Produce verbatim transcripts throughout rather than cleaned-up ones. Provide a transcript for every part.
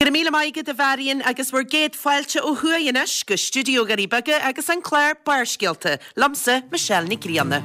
Go raibh míle maith agat a Mharion agus bhur gcéad fáilte ó thuaidh anois go stiúideo Dhoirí Beaga agus an clár Barrscéalta, liomsa Michelle Nic Grianna.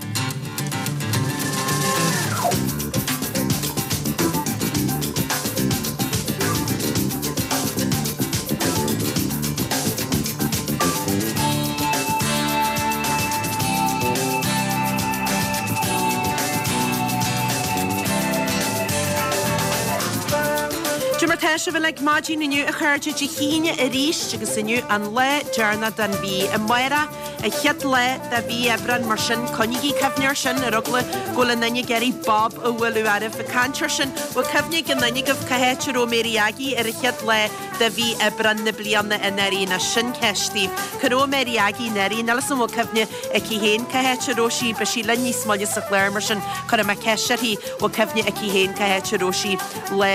Cad é mar tá sibh uilig maidin inniu a chairde Dé hAoine arís agus inniu an lá deireanach den mhí. Amárach an chéad lá de mhí Aibreán mar sin coinnígí cuimhne air sin ar eagla go bhfuil aon duine ag iarraidh bob a bhualadh oraibh. Ag caint air sin, bhfuil cuimhne ag aon duine agaibh cá háit a raibh Mary Aggie ar an chéad lá de mhí Aibreán na bliana anuraidh? Nó sin ceist daoibh. Cá raibh Mary Aggie anuraidh? Níl 'fhios a'm an bhfuil cuimhne aici féin cá háit a raibh sí. Beidh sí linn níos moille sa chlár mar sin cuirfidh mé ceist uirthi bhfuil cuimhne aici féin cá háit a raibh sí lá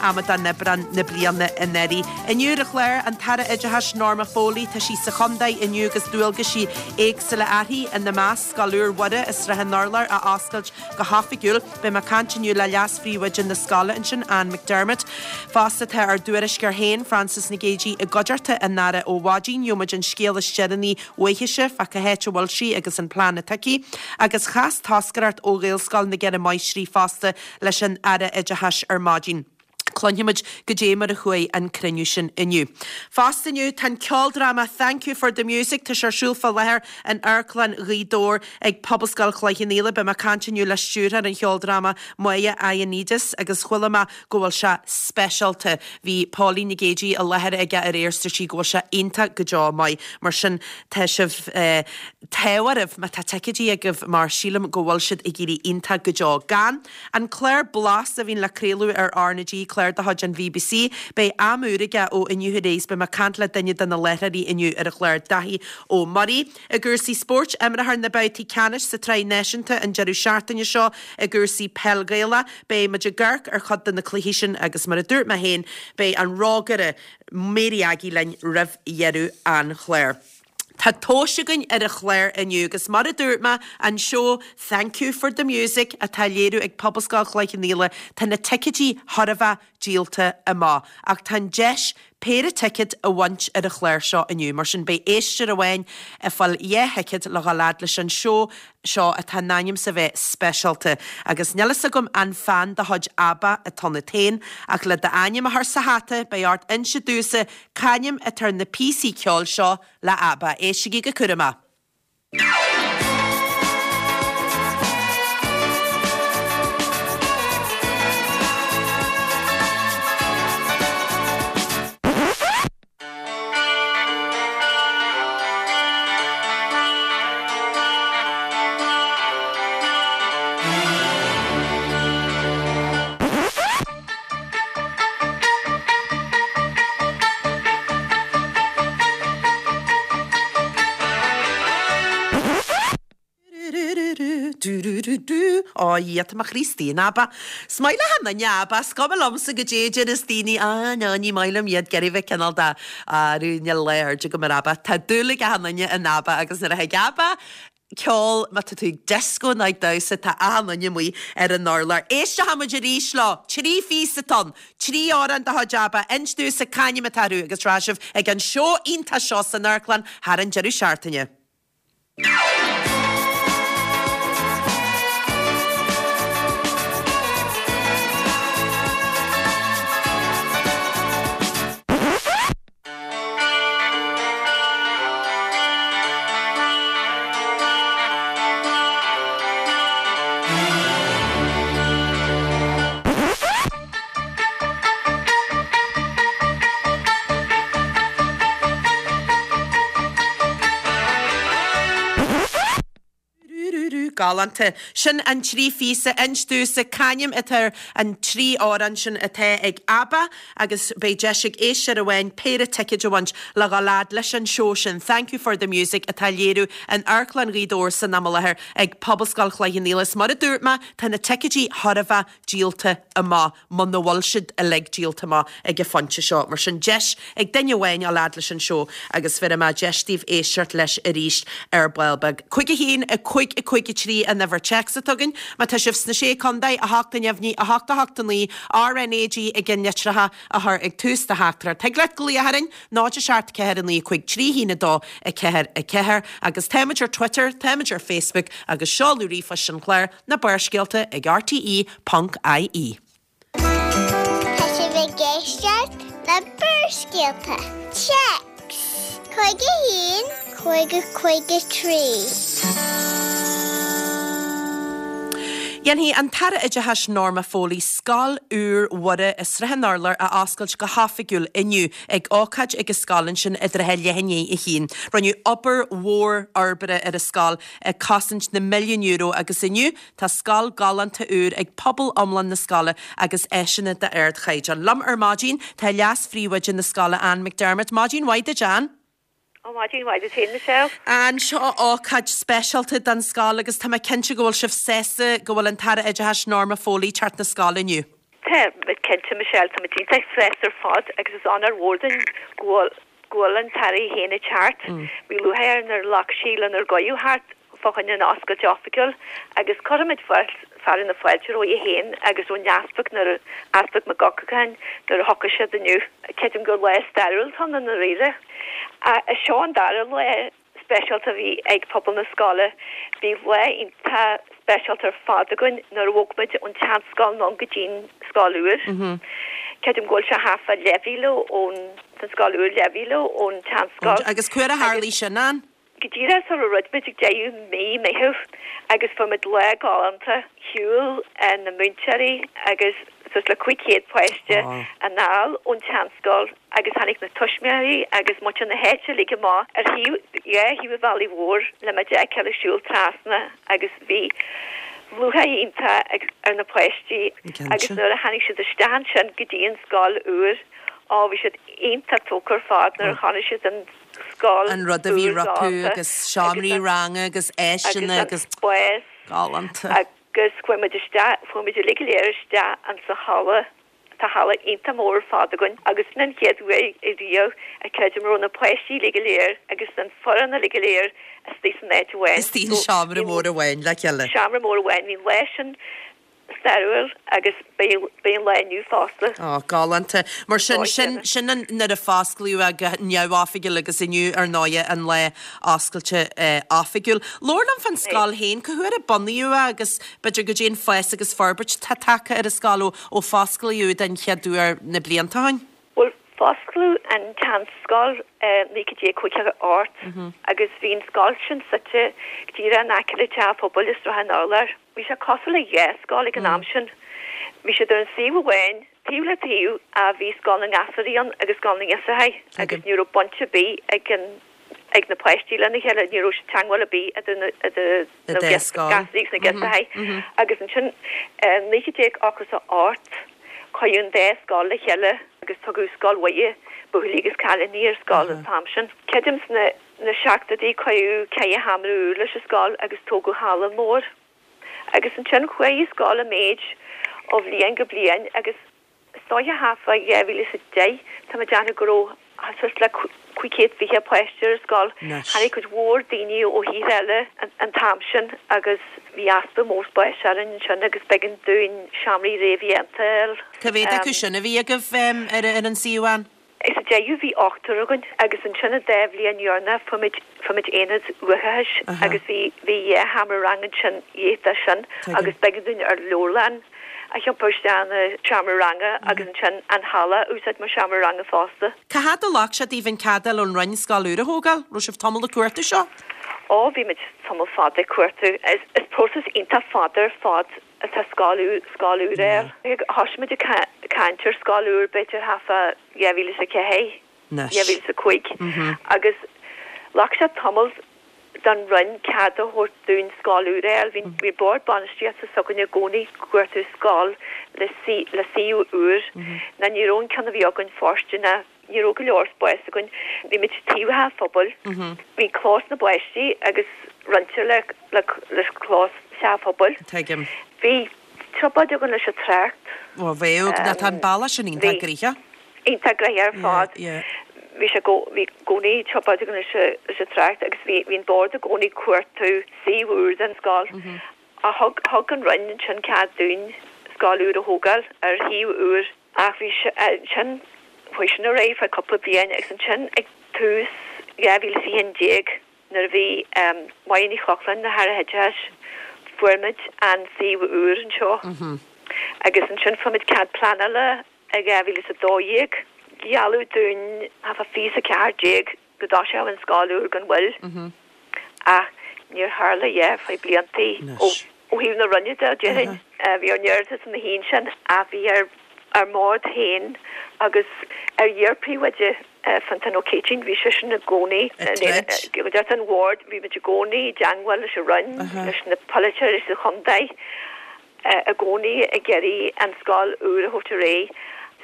Amadán Aibreán na bliana anuraidh. Inniu ar an chlár an tAire Oideachais Norma Foley tá sí sa chontae inniu agus dualgaisí éagsúla uirthi ina measc Scoil úr Mhuire i Srath an Urláir a oscailt go hoifigiúil. Beidh mé ag caint inniu le leas-phríomhoide na scoile ansin Anne McDermott. Fosta tá ár dtuairisceoir féin Frances Nic Géadaigh i gcuideachta an Aire ó mhaidin, gheobhaidh muid an scéal is deireanaí uaithise fá cá háit a bhfuil sí agus an plean atá aici. Agus chas toscaireacht ó Ghaelscoil na gCeithre Máistrí fosta leis an Aire Oideachais ar maidin. Cluinfimid goidé mar a chuaigh an cruinniú sin inniu. Fosta inniu tá an ceoldráma Thank You for the Music tá sé ar siúl fá láthair in Amharclann Ghaoth Dobhair ag Pobalscoil Chloich Cheann Fhaola. Beidh mé ag caint inniu le stiúrthóir an cheoldráma Maya Ioannidis agus chuala mé go bhfuil sé speisialta. Bhí Pauline Nic Géadaigh i láthair aige aréir is dúirt sí go bhfuil sé iontach go deo maith. Mar sin tá sibh eh, t-ádh oraibh má tá ticéidí agaibh mar sílim go bhfuil siad ag éirí iontach go deo. Gan an clár Blas a bhíonn le craoladh ar R na G clár de chuid an BBC, beidh am úr aige ó inniu ar aghaidh is beidh mé ag caint le duine de na láithreoirí inniu ar an chlár Daithí Ó Muirí. I gcúrsaí spóirt, imreofar na babhtaí ceannais sa tsraith náisiúnta an deireadh seachtaine seo i gcúrsaí peil Gaelach. Beidh muid ag amharc ar chuid de na cluichí sin agus mar a dúirt mé féin, beidh an rógaire Mary Aggie linn roimh dheireadh an chláir. Tá tomhais againn ar an chlár inniu agus mar a dúirt mé an seó Thank You for the Music atá á léiriú ag Pobalscoil Chloich Cheann Fhaola, tá na ticéidí thar a bheith díolta amach ach tá an deis péire ticéad a bhaint ar an chlár seo inniu. Mar sin beidh éisteoir amháin ag fáil dhá thicéad le dhul fhad leis an seó seo atá in ainm is a bheith speisialta. Agus níl fhios agam an fan de chuid ABBA atá ionat féin ach le d'ainm a chur sa hata beidh ort inse domhsa c'ainm atá ar na píosaí ceoil seo le ABBA. Éistigí go cúramach. Ó Dhia, tá mo chroí istigh in ABBA. Is maith le achan duine ABBA, is cuma liomsa goidé a deireas daoine, ah no, ní maith liom iad, ag iarraidh bheith cineál de, arú, níl lá airde agam ar ABBA. Tá dúil ag achan duine in ABBA agus nuair a thig ABBA ceol, má tá tú ag dioscó nó ag damhsa, tá achan duine amuigh ar an urlár. Éisteoidh muid arís leo! Trí phíosa atá ann, trí amhrán de chuid ABBA, inis domhsa c'ainm atá orthu agus rachaidh sibh ag an seó iontach seo san amharclann thar an deireadh seachtaine. Galánta. Sin an trí phíosa. Inis domhsa c'ainm atá ar an trí amhrán sin atá ag ABBA agus beidh deis ag éisteoir amháin péire ticéid a bhaint le dhul fhad leis an seó sin Thank You for the Music atá á léiriú in Amharclann Ghaoth Dobhair san am i láthair ag Pobalscoil Chloich Cheann Fhaola. Is mar a dúirt mé, tá na ticéidí thar a bheith díolta amach, muna bhfuil siad uilig díolta amach ag an phointe seo. Mar sin, deis ag duine amháin dhul fhad leis an seó agus bhéarfaidh mé deis daoibh éisteacht leis arís ar ball beag. Cúig a haon, a cúig, a cúig a trí. trí an uimhir téacs atá againn. Má tá sibh sna Sé Chontae, a hocht a neamhní, a hocht a hocht a naoi, RnaG i gceannlitreacha a chur ag tús do theachtaireacht. Thig leat glaoch orainn, náid a seacht ceathair a naoi cúig trí haon a dó a ceathair a ceathair. Agus táimid ar Twitter, táimid ar Facebook agus seoladh ríomhphoist an chláir, na Barrscéalta ag rte ponc ie. Tá sibh ag éisteacht le Barrscéalta. Téacs cúig a haon, cúig a cúig a trí. Dhéanfaidh an tAire Oideachais Norma Foley scoil úr Mhuire i Srath an Urláir a oscailt go hoifigiúil inniu ag ócáid ag an scoil ansin i dtrátha leath i ndiaidh a haon. Rinneadh obair mhór fhorbartha ar an scoil ag cosaint na milliún euro agus inniu tá scoil galánta úr ag pobal iomlán na scoile agus áiseanna d'ardchaighdeán. Liom ar maidin tá leas-phríomhoide na scoile Anne McDermott. Maidin mhaith duit Anne. Ó maidin mhaith duit féin Michelle. Anne, seo ócáid speisialta don scoil agus tá mé cinnte go bhfuil sibh sásta go bhfuil an tAire Oideachais Norma Foley ag teacht na scoile inniu. Tá muid cinnte Michelle, tá muid iontach sásta ar fad agus is onóir mhór dúinn go bhfuil go bhfuil an tAire í féin ag teacht. Bhí lúcháir orainn nuair a ghlac sí lenár gcuireadh theacht fá choinne an oscailt oifigiúil agus cuirfimid fearadh na fáilte roimhe féin agus ón Easpag nuair a Easpag Mac Eochagáin nuair a thiocfaidh siad inniu. Creidim gur lá stairiúil atá ann i ndáiríre. Seo an dara lá speisialta a bhí ag pobal na scoile. Bhí lá iontach speisialta ar fad againn nuair a bhog muid ón tseanscoil anonn go dtí'n scoil úr. Creidim go bhfuil sé thart fá leathmhíle ón an scoil úr leathmhíle ón tseanscoil. Agus cá huair a tharlaigh sin, Ann? Go díreach sula raibh muid ag deireadh mí Meitheamh agus fuair muid lá galánta. Shiúil na múinteoirí agus suas le cúig chéad páiste anall ón tseanscoil agus tháinig na tuismitheoirí agus muintir na háite uilig amach ar thaobh, dhá thaobh an bhealaigh mhóir le muid a fheiceáil ag siúl trasna agus bhí lúcháir iontach ar na páistí agus nuair a tháinig siad isteach ansin go dtí an scoil úr, á bhí siad iontach tógtha ar fad nuair a chonaic siad an scoil An rud a bhí úr rompu galánta agus seomraí agus an ranga agus agus áiseanna an agus spás galánta. agus chuaigh muid isteach, chuaigh muid uilig go léir isteach insa halla, tá halla iontach mór ar fad againn agus sin an chéad uair riamh a creidim a raibh na páistí uilig go léir agus an foireann uilig go léir istigh san áit amháin. Istigh i So seomra bhí an mór amháin le chéile. seomra mór amháin, bhí an lá sin stairiúil agus beidh beidh an lá inniu fosta. Ó, galánta. Mar sin, Dóigh sin, chéanna. sin an, nuair a fosclaíodh é go neamhoifigiúil agus inniu ar ndóighe an lá oscailte eh, oifigiúil. Labhair liom fán scoil féin, cá huair a bunaíodh é agus b'fhéidir goidé an fás agus forbairt atá tagtha ar an scoil ó, ó fosclaíodh den chéad uair na blianta ó shin? Bhuel, fosclaíodh an tseanscoil i naoi déag caoga a hocht agus bhí an scoil sin suite go díreach in aice le teach pobail i Srath an Urláir. Bhí sé cosúil le dhá scoil ag an am sin. Bhí siad ar an suíomh amháin, taobh le taobh, ach bhí scoil na ngasúraí ann agus scoil na ngiosrachaí agus ní raibh baint ar bith ag an ag na páistí lena chéile, ní raibh teagmháil ar bith idir na idir Na na dá scoil. gasúraí agus na giosrachaí. Agus ansin i naoi déag ochtó is a hocht cuireadh an dá scoil le chéile agus tugadh Scoil Mhuire, buachaillí agus cailíní ar scoil an t-am sin. Creidim sna na seachtóidí cuireadh ceithre sheomra úr leis an scoil agus tógadh halla mór. Agus ansin chuaigh an scoil i méid ó bhliain go bliain agus Is dóiche thart fá dhá mhíle is a deich, tá mé ag déanamh go raibh suas le cúig chéad fiche páiste ar an scoil. Tháinig cuid mhór daoine ó thíortha eile an t-am sin agus bhí easpa mór spáis orainn ansin agus b'éigean dúinn seomraí réamhdhéanta a fháil. Cá mhéad acu sin a bhí agaibh ar an suíomh, Ann? Sa deireadh bhí ochtar againn agus ansin an dá bhliain dheireanach fuair muid fuair muid aonad uathachais agus bhí bhí dhá sheomra ranga ansin dhiaidh de sin agus b'éigean dúinn ár leabharlann a thiompar isteach ina seomra ranga agus ansin an halla a úsáid mar seomra ranga fosta. Cá fhad a ghlac sé daoibh an cead a fháil ón Roinn scoil úr a thógáil? Raibh sibh tamall ag cuartú seo? Ó, bhí muid tamall fada ag cuartú. Is is próiseas iontach fada ar fad atá scoil úr scoil úr a fháil. Thosaigh muid ag caint ar scoil úr b'fhéidir thart fá dhá mhíle is a ceathair, dhá mhíle is a cúig agus ghlac sé tamall don Roinn cead a thabhairt dúinn scoil úr a fháil. Bhí bhí bord bainistíochta s'againne i gcónaí ag cuartú scoil le le suíomh úr ná ní raibh an ceann a bhí againn fóirsteanach, ní raibh go leor spáis againn. Bhí muid taobh an teach phobail, bhí clós na bpáistí agus roinnte le le le clós teach phobail. Tuigim. Bhí trioblóid againn leis an trácht. Ó bheadh, tá an bealach sin iontach Bhí. gnoitheach. Iontach gnoitheach ar fad. Yeah, yeah. Bhí sé go bhí gcónaí tiopaid leis leis an trácht agus bhí bhí an bord i gcónaí ag cuartú suíomh úr don scoil. A thug thug an Roinn ansin cead dúinn scoil úr a thógáil ar shuíomh úr ach bhí sé ansin chuaigh sin ar aghaidh feadh cúpla bliain agus ansin ag tús dhá mhíle is a haon déag nuair a bhí Máire Ní Chlochlainn ina hAire Oideachais fuair muid an suíomh úr anseo agus ansin fuair muid cead pleanála i dhá mhíle is a dó dhéag. Gealladh dúinn thart fá fiche is a ceathair déag go dtoiseodh an scoil úr gan mhoill ach níor tharla a dhath feadh bliantaí ó thaobh na Roinne de, déarfainn. Bhí ár n-iarratas ina shuí ansin ach bhí ar ár mbord féin agus ar iar-phríomhoide Fionntán Ó Céitinn, bhí seisean i gcónaí i gcuideachta an bhoird, bhí muid i gcónaí i dteangmháil leis an Roinn, leis na polaiteoirí sa chontae. i gcónaí ag iarraidh an scoil úr a thabhairt ar aghaidh.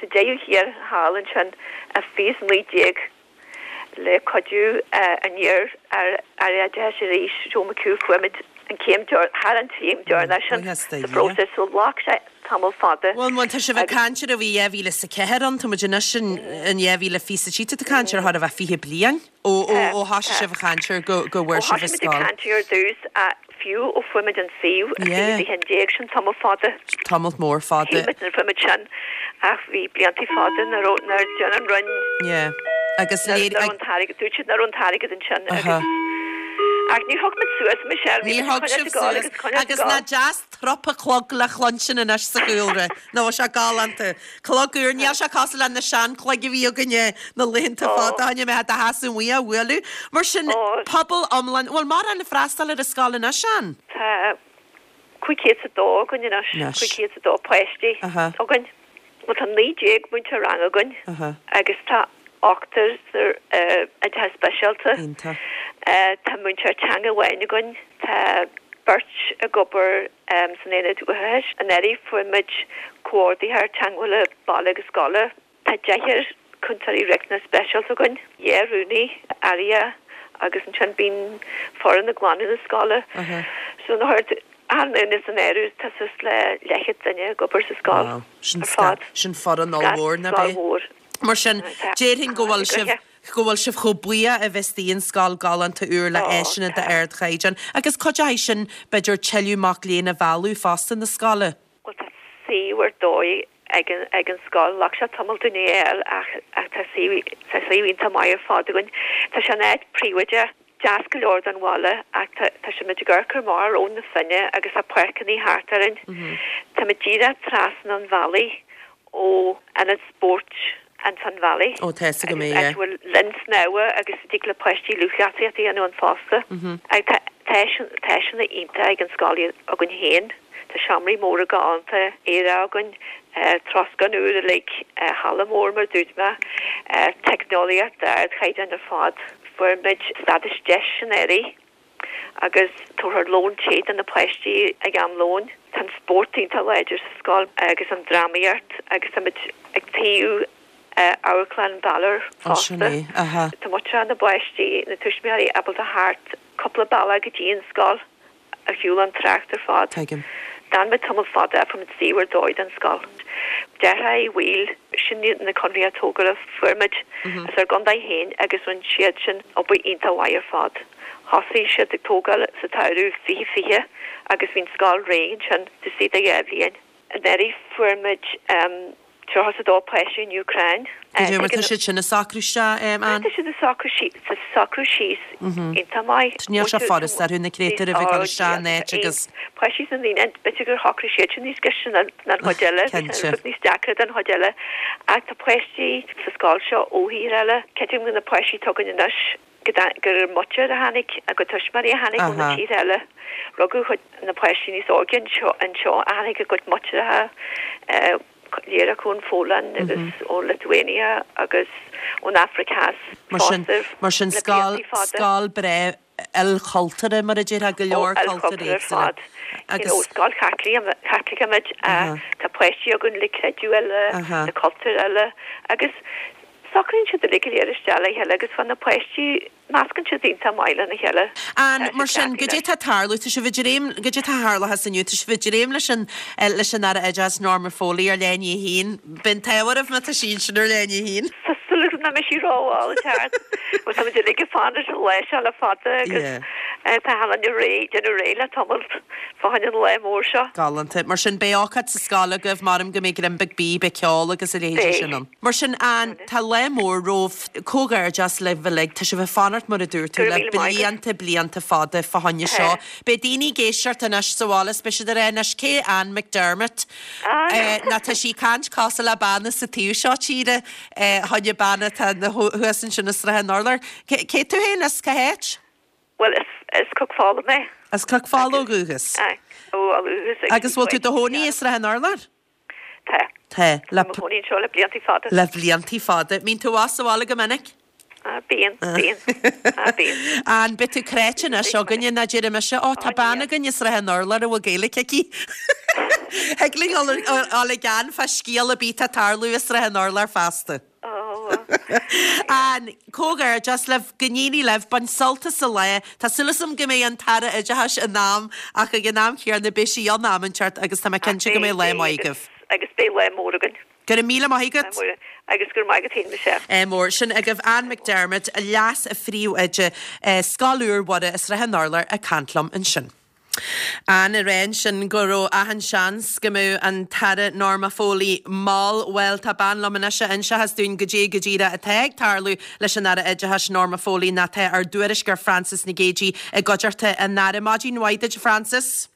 Sa deireadh thiar thall ansin i fiche is naoi déag le cuidiú an iar-Aire Oideachais arís, Joe McHugh, fuair muid an chéim thar an chéim deireanach sin sa phróiseas so ghlac sé tamall fada. Bhuel, má tá sibh ag caint ar a bhí dhá mhíle is a ceathair ann, tá muid anois in dhá mhíle fiche is a trí, tá tú ag caint ar chóir a bheith fiche bliain ó ó thosaigh sibh ag caint ar go go bhfuair sibh an scoil. Ó thosaigh muid ag caint ar dtús fiú ó fuair muid an suíomh i fiche is a haon déag, sin tamall fada. Tamall mór fada. Shíl muid nuair a fuair muid sin ach bhí bliantaí fada nach raibh, nár dhein an Roinn. Yeah. Agus léir. Nach raibh an t-airgead, dúirt siad nach raibh an t-airgead ansin agus. Ach níor thug muid suas, Michelle, bhí Níor muid ag thug coinneáil sibh ag gabháil suas. agus coinneáil ag Agus gabháil. nach deas trup an chlog le cluinstin anois sa chúlra. Nach bhfuil sé galánta. Clog úr, níl sé cosúil le na seanchloig a bhí againne na laethanta Ó. fada ó shin a mbeadh do sheasamh amuigh á bhualadh. Mar sin, Ó. pobal iomlán, bhfuil mórán ag freastal ar an scoil anois, Ann? Tá cúig chéad is a dó againn anois, Anois. cúig chéad is a dó páistí Aha. againn. Bhuel, tá naoi déag múinteoir ranga againn Aha. agus tá ochtar san oideachas speisialta. Iontach. Tá múinteoir teanga amháin againn, tá beirt ag obair san aonad uathachais. Anuraidh fuair muid comhordaitheoir teagmhála baile agus scoile. Tá deichniúr cúntóirí riachtanas speisialta againn, dhá rúnaí aireach agus ansin bíonn foireann ag glanadh na scoile. So na achan duine san áireamh tá suas le leathchéad duine ag obair sa scoil Wow. Sin ar fad. sin foireann ollmhór, nach Scoil é? mhór. Mar sin, déarfainn go bhfuil sibh go bhfuil sibh chomh buíoch a bheith istigh in scoil galánta úr le Ó, áiseanna tá. d'ardchaighdeán. Agus cuideoidh sin b'fhéidir tuilleadh mac léinn a mhealladh fosta na scoile. Bhuel tá suíomh ar dóigh ag an ag an scoil. Ghlac sé tamall dúinn é a fháil ach ach tá suíomh tá suíomh iontach maith ar fad againn. Tá sé in áit príobháideach, deas go leor don bhaile ach tá tá sé muid ag amharc amach ar Abhainn na Finne agus tá páirceanna thart orainn. Tá muid díreach trasna an bhealaigh ó ionad spóirt an Finn Valley. Ó, tá fhios agam é, Agus áit yeah. a bhfuil linn snámha agus a dtig le páistí lúthchleasaíocht a dhéanamh ann fosta. Ach tá tá tá áiseanna iontach ag an scoil againn féin. Tá seomraí móra galánta aerach againn, troscán úr uilig, halla mór mar dúirt mé, teicneolaíocht d'ardchaighdeán ar fad. Fuair muid stádas deis anuraidh agus tabharfar lón te do na páistí ag am lóin. Tá an spórt iontach láidir sa scoil agus an drámaíocht agus tá muid ag taobh Amharclann Balor Ó, sin fosta. é, aha. Tá muintir na bpáistí, na tuismitheoirí ábalta theacht cúpla bealach go dtí an scoil ar shiúl an trácht ar fad. Tuigim. D'fhan muid tamall fada fuair muid suíomh ar dóigh don scoil. Deartháir Uí Bhaoill, sin na conarthaí tógála fuair muid as ár gcontae féin agus rinne siad sin obair iontach mhaith ar fad. Thosaigh siad ag tógáil sa tsamhradh fiche fiche agus bhí an scoil réidh ansin taobh istigh de dhá bhliain. Anuraidh fuair muid tríocha is a dó páiste ón Úcráin. Cad é mar tá siad sin ag socrú isteach, Ann? Tá siad ag socrú síos ag socrú síos iontach maith. Níl sé furast orthu na créatúir a bheith ag dul isteach in áit agus Páistí sna naíonáin, b'fhéidir gur shocraigh siad sin níos gaiste ná an chuid eile, bhí sé Cinnte. níos deacra don chuid eile. Ach tá páistí sa scoil seo ó thír eile. Creidim go na páistí atá againn anois go dta- gur muintir a tháinig a gcuid tuismitheoirí a tháinig ó na Aha. tír eile. Rugadh chuid na páistí níos óige anseo anseo a tháinig a gcuid muintireacha léir acu ón Pholainn agus ó Lithuania agus ón Afraic Theas Mar sin fosta mar sin le scoil blianta fada. scoil breá ilchultúrtha mar a déarfá go leor Ó, cultúr ilchultúr ar éagsúla. fad. You know, Agus scoil Chaitliceach muid, Aha. tá páistí againn le creideamh eile, Aha. le cultúr eile agus socraíonn siad uilig go léir isteach le chéile agus fan na páistí meascann siad iontach maith lena chéile. An Tá mar siad sin deacair goidé tá tarlú tá sibh ag dréim goidé tá tarlaithe inniu tá sibh ag dréim leis an eh, leis an Aire Oideachais Norma Foley ar leath i ndiaidh a haon. Bíonn tábhacht má tá sí sin ar leath i ndiaidh a haon. Tá súil súil agam nach mbeidh sí rómhall ag teacht. Bhuel tá muid uilig ag fanacht an lá seo le fada agus tá achan duine réidh, déanamh réidh le tamall fá choinne an lae mór seo. Galánta. Mar sin beidh ócáid sa scoil agaibh, maram go mbeidh greim beag bídh, beidh ceol agus a leithéidí sin ann. Mar sin Ann, tá lá mór romhaibh, comhghairdeas libh uilig, tá sibh ag fanacht mar a dúirt tú le blianta blianta fada fá choinne seo. Beidh daoine ag éisteacht anois sa bhaile is beidh siad ag rá anois cé Ann McDermott? Nó tá sí ag caint cosúil le bean as an taobh seo tíre, choinne bean atá thuas ansin i Srath an Urláir. Cé tú féin as cá háit? Bhuel, is as Cnoc Fola mé. As Cnoc Fola ó dhúchas. Aye, ó dhúchas. Agus bhfuil tú i do chónaí i Srath an Urláir? Tá. Tá. Le Tá mé i mo chónaí anseo le bliantaí fada. Le bliantaí fada. Mbíonn tú abhus sa bhaile go minic? Ah, bíonn, bíonn. Ah, bíonn. Ann, beidh tú cráite anois againne ná déarfaidh mise, Ó, tá bean againn i Srath an Urláir a bhfuil Gaeilge aici. Thig linn dul ag Ann fá scéal ar bith atá ag tarlú i Srath an Urláir feasta. Ann, Comhghairdeas libh, go n-éirí libh, bain sult as an lá. Tá súil agam go mbeidh an tAire Oideachais in am ach ag an am chéanna beidh sí in am inteacht agus tá mé cinnte go mbeidh lá maith agaibh. Agus beidh lá mór againn. Go raibh míle maith agat. Agus go raibh maith agat féin, Michelle. Ádh mór. Sin agaibh Ann McDermott, Leas-Phríomhoide Scoil Úr Mhuire i Srath an Urláir ag caint liom ansin. Ann ag rá ansin go raibh achan seans go mbeadh an tAire Norma Foley mall. Bhuel, tá bean liom anois a inseochas dúinn goidé go díreach atá ag tarlú leis an Aire Oideachais Norma Foley ná tá ár dtuairisceoir Frances Nic Géadaigh i gcuideachta an Aire. Maidin mhaith duit, a Frances.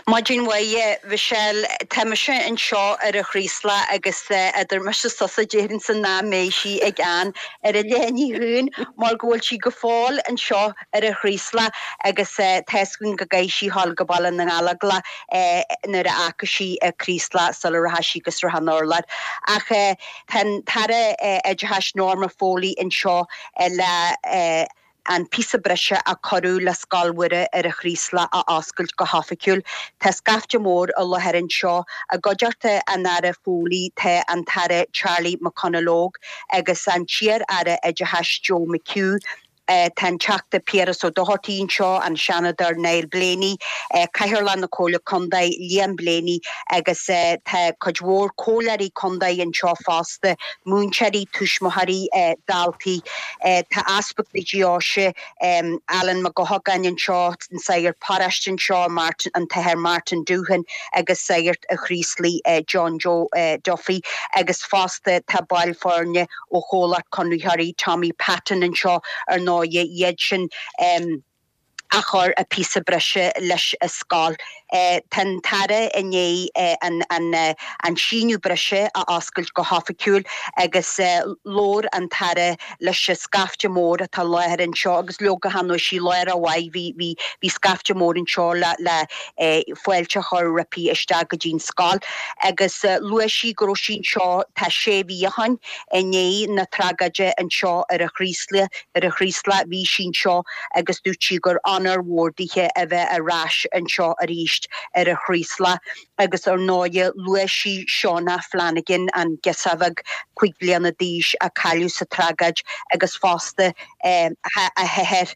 Maidin mhaith, Michelle. Tá mise anseo ar an Chraoslach agus idir mise is tusa déarfainnse nach mbeidh sí ag Ann ar an leithinigh chugainn mar go bhfuil sí go fóill anseo ar an Chraoslach agus tá's againn go gcaithfidh sí dhul go Baile na nGallóglach nuair a fhágfaidh sí an Craoslach sula rachaidh sí go Srath an Urláir. Ach tá an tAire Oideachais Norma Foley anseo le an píosa breise a cuireadh le Scoil Mhuire ar an Chraoslach a oscailt go hoifigiúil. Tá scaifte mór i láthair anseo. I gcuideachta an Aire Foley tá an tAire Charlie McConalogue agus an t-iar-Aire Oideachais Joe McHugh. Tá an Teachta Piaras Ó Dochartaigh anseo, an Seanadóir Niall Blaney, Cathaoirleach na Comhairle Contae Liam Blaney agus tá cuid mhór comhairleoirí contae anseo fosta, múinteoirí, tuismitheoirí, daltaí. Tá Easpag na Deoise Alan Mac Eochagáin anseo, an sagart paróiste anseo, Martin, an tAthair Martin Doohan agus sagart an Chraoslaigh John Joe Duffy agus fosta tá baill foirne ó chomhlacht conraitheoirí Tommy Patton anseo ar ndóigh iad sin a chuir an píosa breise leis an scoil. Tá an tAire i ndiaidh an síneadh breise a oscailt go hoifigiúil agus labhair an tAire leis an scaifte mór atá i láthair anseo agus leoga chan raibh sí i láthair mhaith bhí bhí bhí scaifte mór anseo le le fáilte a chur roimpi isteach go dtí an scoil agus luaigh sí go raibh sí anseo tá sé mhí ó shin i ndiaidh na tragóide anseo ar an Chraoslach ar an Chraoslach bhí sí anseo agus dúirt sí gur onóir mhór dithe a bheith ar ais anseo arís ar an Chraoslach agus ar ndóigh luaigh sí Shauna Flanagan an girseach bheag cúig bliana d'aois a cailleadh sa tragóid agus fosta a hathair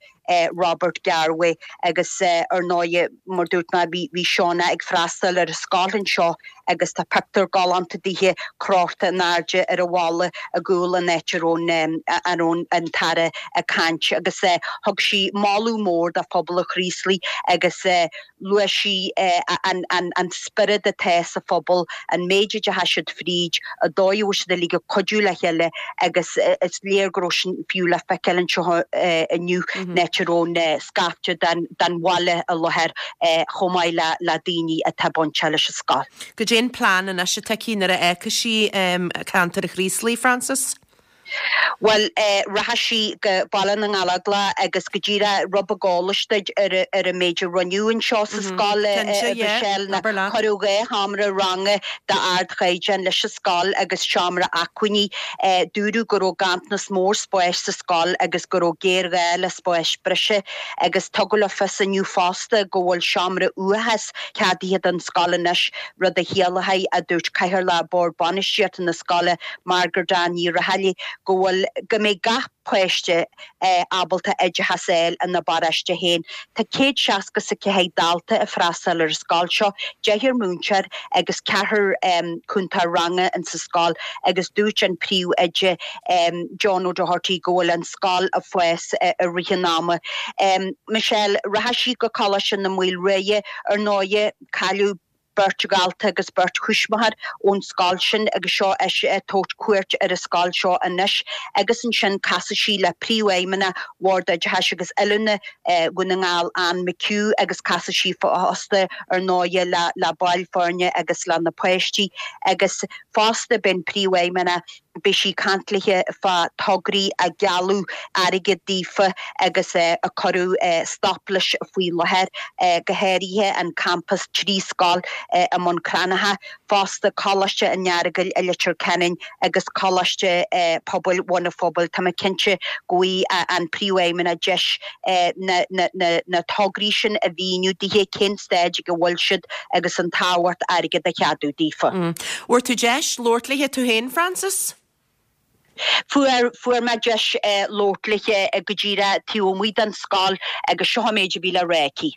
Robert Garwe agus ar ndóigh mar dúirt mé bhí bhí Shauna ag freastal ar an scoil anseo agus tá pictiúr galánta dithe crochta in airde ar an bhalla i gcúl an áit a raibh a raibh an tAire ag caint agus thug sí moladh mór do phobal an Chraoslaigh agus luaigh sí an an an spiorad atá sa phobal, an méid a d'fhéach siad fríd, an dóigh a bhfuil siad uilig ag cuidiú le chéile agus is léir go raibh sin fiú le feiceáil anseo inniu an áit a raibh an scaifte den den bhaile i láthair chomh maith le le daoine atá bainteach leis an scoil. Goidé an plean anois atá aici nuair a fhágfaidh sí ceantar an Chraoslaigh, Frances? Bhuel, rachaidh sí go Baile na nGallóglach agus go díreach rud beag eolais duit ar ar an méid a rinneadh anseo sa scoil, a Mhichelle, ná cuireadh dhá sheomra ranga d'ardchaighdeán leis an scoil agus seomra acmhainní. Dúradh go raibh ganntanas mór spáis sa scoil agus go raibh géarghá le spáis breise agus tugadh le fios inniu fosta go bhfuil seomra uathachais ceadaithe don scoil anois, rud a chiallóidh, a dúirt Cathaoirleach Bhord Bainistíochta na scoile, Margaret Ann Ní Raghallaigh, go bhfuil go mbeidh gach páiste ábalta oideachas a fháil ina bparóiste féin. Tá céad seasca is a ceathair dalta ag freastal ar an scoil seo, deichniúr múinteoir agus ceathrar cúntóir ranga insa scoil agus dúirt an príomhoide John O'Doherty go bhfuil an scoil ag fás i rith an ama. Michelle, rachaidh sí go Coláiste na Maoilriaidhe ar ndóighe, cailleadh beirt dhalta agus beirt thuismitheoir ón scoil sin agus seo ise ag tabhairt cuairt ar an scoil seo anois agus ansin casfaidh sí le Príomhfheidhmeannach Bhord Oideachais agus Oiliúna Dhún na nGall Anne McHugh agus casfaidh sí fosta ar ndóighe le le baill foirne agus le na páistí agus fosta beidh an Príomhfheidhmeannach Beidh sí ag caint léithe fá tograí a gealladh airgead daofa agus a cuireadh stop leis faoi láthair, go háirithe an campas trí scoil i mBun Cranncha, fosta Coláiste an Earagail i Leitir Ceanainn agus Coláiste Pobail Bhun an Phobail. Tá mé cinnte go bhfaighidh an Príomhfheidhmeannach deis na tograí sin a mhíniú dithe, cén staid ag a bhfuil siad agus an tábhacht airgead a cheadú daofa. Bhfuair tú deis labhairt léithe tú féin, Frances? Fuair, fuair mé deis labhairt léithe go díreach taobh amuigh den scoil agus seo an méid a bhí le rá aici.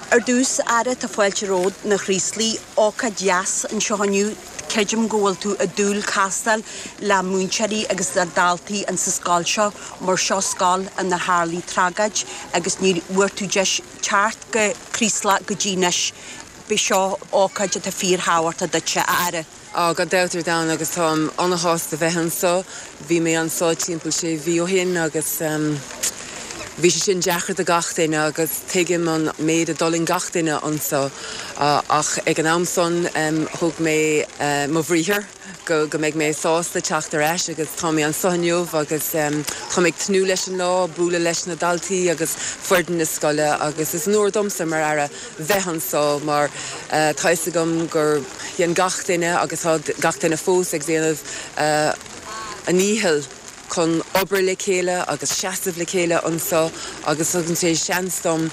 Ar dtús, Aire, tá fáilte romhat 'na Chraoslaigh, ócáid dheas anseo inniu. Creidim go bhfuil tú ag dúil castáil le múinteoirí agus le daltaí insa scoil seo mar seo scoil inar tharlaigh tragóid agus ní bhfuair tú deis teacht go Craoslach go dtí anois. B'é seo ócáid atá fíorthábhachtach duitse, a Aire. Á, gan dabht ar domhan agus táim ana-shásta bheith anso. Bhí mé anso timpeall sé mhí ó shin agus bhí sé sin deacair do gach duine agus tuigim an méid a d'fhulaing gach duine anso ach ag an am san thug mé mo bhriathar go go mbeidh mé sásta teacht ar ais agus tá mé anso inniu agus tá mé ag tnúth leis an lá, bualadh leis na daltaí agus foireann na scoile agus is onóir domsa mar Aire bheith anso mar tá fhios agam gur dhein gach duine agus tá gach duine fós ag déanamh a ndícheall chun obair le chéile agus seasamh le chéile anso agus tugann sé seans dom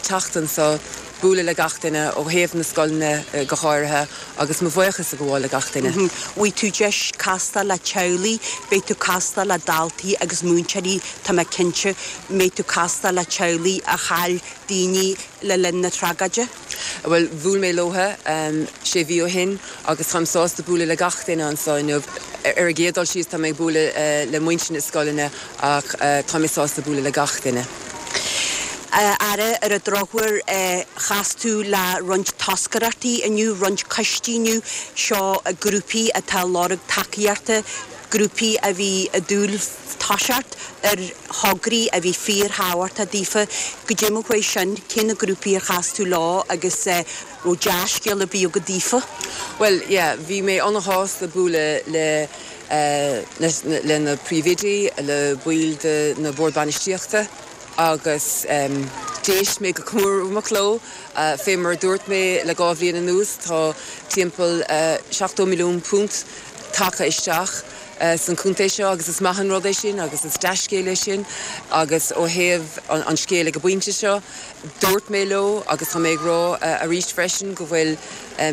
teacht anso, bualadh le gach duine ó thaobh na scoileanna go háirithe agus mo bhuíochas a ghabháil le gach duine. Bhfaighidh tú deis castáil le teaghlaigh, beidh tú castáil le daltaí agus múinteoirí, tá mé cinnte. Mbeidh tú castáil le teaghlaigh a chaill daoine le linn na tragóide? Bhuel, bhuail mé leotha sé mhí ó shin agus táim sásta bualadh le gach duine anso inniu. Ar an gcéad dul síos tá mé ag bualadh le muintir na scoileanna ach tá mé sásta bualadh le gach duine. A Aire, ar an drochuair chas tú le roinnt toscaireachtaí inniu, roinnt coistí inniu, seo grúpaí atá ag lorg tacaíochta, grúpaí a bhí ag dúil toiseacht ar thograí a bhí fíorthábhachtach daofa. Goidé mar chuaigh sin, cé na grúpaí ar chas tú leo agus raibh dea-scéal ar bith agat daofa? Bhuel, yeah, bhí mé ana-shásta bualadh le le na príomhoidí, le baill de na Bord Bainistíochta agus d'éist mé go cúramach leo. Fé mar a dúirt mé le dhá bhliain anuas, tá timpeall seachtó milliún punt tagtha isteach san chontae seo agus is maith an rud é sin agus is dea-scéal é sin agus ó thaobh an scéil ag an bpointe seo, dúirt mé leo agus tá mé ag rá arís freisin go bhfuil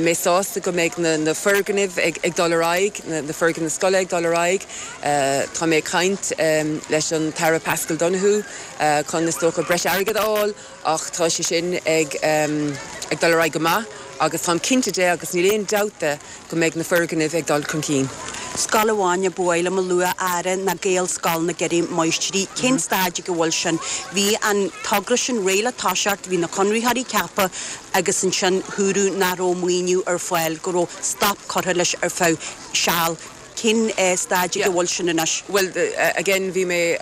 mé sásta go mbeidh na foirgnimh ag dul ar aghaidh, na foirgnimh scoile ag dul ar aghaidh. Tá mé ag caint leis an tAire Paschal Donohoe chun is dócha breis airgid a fháil ach tá sé sin ag ag dul ar aghaidh go maith agus táim cinnte de agus níl aon dabht de go mbeidh na foirgnimh ag dul chun cinn. Scoil amháin a ba mhaith liom a lua, a Aire, ná Gaelscoil na gCeithre Máistrí. Cén staid ag a bhfuil sin? Bhí an togra sin réidh le toiseacht, bhí na conraitheoirí ceaptha agus ansin dúradh nach raibh maoiniú ar fáil, go raibh stop curtha leis ar feadh seal. Cén staid ag a bhfuil sin anois? Bhuel, again, bhí mé,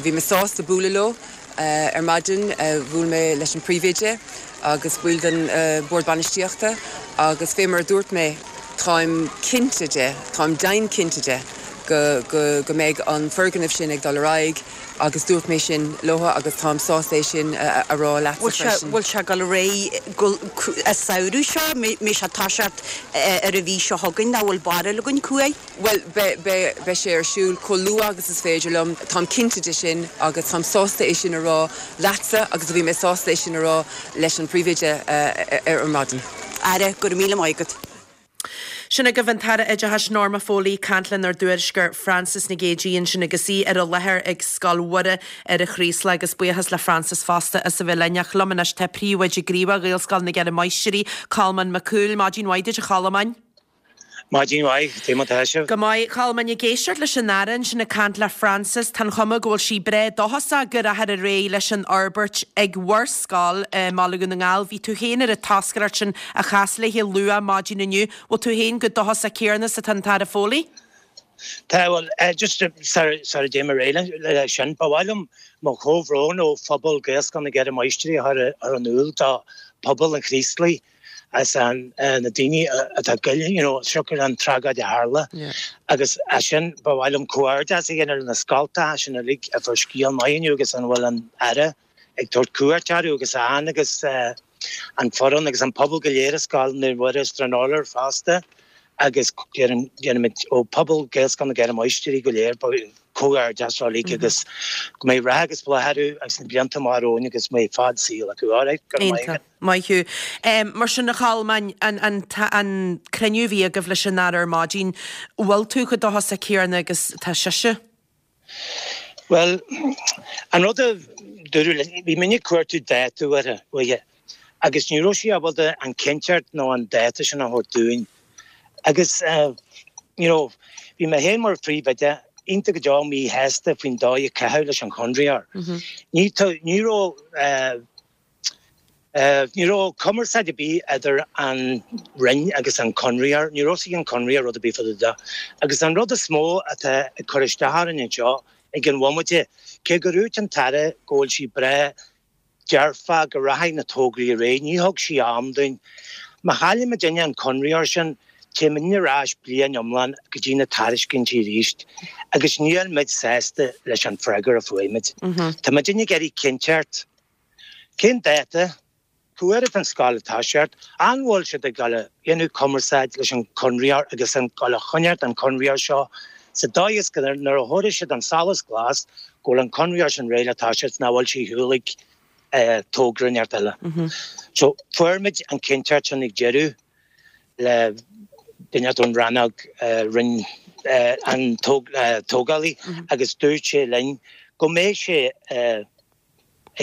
bhí mé sásta bualadh leo ar maidin. Bhuail mé leis an bpríomhoide agus baill den Bhord Bainistíochta agus fé mar a dúirt mé, táim cinnte de, táim deimhin cinnte de go, go, go mbeidh an foirgneamh sin ag dul ar aghaidh agus dúirt mé sin leo agus táim sásta é sin a rá leatsa freisin. Bhfuil sé ag dul ar aghaidh go, an samhradh seo? Mbeidh sé ag toiseacht ar an mhí seo chugainn nó bhfuil barúil againn cá huair? Bhuel, beidh, beidh sé ar siúl chomh luath agus is féidir liom, táim cinnte de sin agus táim sásta é sin a rá leatsa agus bhí mé sásta é sin a rá leis an bpríomhoide ar maidin. Aire, go raibh míle maith agat. Sin agaibh an tAire Oideachais Norma Foley ag caint lenár dtuairisceoir Frances Nic Géadaigh ansin agus í ar an láthair ag Scoil Mhuire ar an Chraoslach agus buíochas le Frances fosta as a bheith linn. Ach liom anois tá príomhoide gníomhach Ghaelscoil na gCeithre Máistrí, Colmán Mac Cumhaill. Maidin mhaith duit a Cholmáin. Maidin mhaith, cad é mar atá sibh. Go maith, Colmán, ag éisteacht leis an Aire ansin ag caint le Frances, tá an chuma go bhfuil sí breá dóchasach go rachfar ar aghaidh leis an fhorbairt ag bhur scoil i mBaile Dhún na nGall. Bhí tú féin ar an toscaireacht sin a chas léi luath maidin inniu. Bhfuil tú féin chomh dóchasach céanna is atá an tAire Foley? Tá bhuel just sara dtéim ar aghaidh le sin, ba mhaith liom mo chomhbhrón ó phobal Gaelscoil na gCeithre Máistrí a chur ar in iúl do phobal an Chraoslaigh as an na daoine atá goile you know siocair an tragóid a tharla agus as sin ba mhaith liom comhghairdeas a dhéanamh na scoltacha sin uilig a fuair scéal maith inniu agus an bhfuil an Aire ag tabhairt cuairt orthu agus an agus an foireann agus an pobal go léir i Scoil Naomh Muire Stranorlar fosta agus déanaimid ó pobal Gaelscoil na gCeithre Máistrí go léir comhghairdeas uilig agus go mbeidh rath agus bláth orthu agus na blianta amach romhainn agus go mbeidh fad saoil acu. Alright, go raibh maith agat. Maith thú. Mar sin a Cholmáin, an, an, an cruinniú a bhí agaibh leis an Aire ar maidin, bhfuil tú chomh dóchasach céanna agus tá sise? Well, an rud a dúradh linn, bhí muidne ag cuartú dáta uaithe, uaithe agus ní raibh sí ábalta an cinnteacht nó an dáta sin a thabhairt dúinn. Agus, you know, bhí mé féin mar phríomhoide iontach go deo míshásta faoin dóigh a caitheadh leis an chonraitheoir. Ní ní raibh ní raibh cumarsáid ar bith idir an Roinn agus an conraitheoir, ní raibh sí an conraitheoir rud ar bith fá dtaobh de. Agus an rud is mó atá ag cur isteach orainn anseo ag an bhomaite, cé gur dhúirt an tAire go bhfuil sí breá dearfach go rachaidh na tograí ar aghaidh, ní thug sí am dúinn. Má chailleann muidinne an conraitheoir sin, téimidne ar ais bliain iomlán go dtí na tairiscintí arís agus níl muid sásta leis an freagra a fuair muid. Tá muidinne ag iarraidh cinnteacht. Cén dáta? Cá huair atá an scoil ag toiseacht? An bhfuil siad ag dul a dhéanamh cumarsáid leis an conraitheoir agus an dul a choinneáilt an conraitheoir seo sa dóigh is go nuair a thabharfaidh siad an solas glas go bhfuil an conraitheoir sin réidh le toiseacht nach bhfuil sé ar shiúl ag togra inteacht eile. So fuair muid an cinnteacht sin ag deireadh le duine ón rannóg roinn an tógálaí agus dúirt sé linn go mbeidh sé ag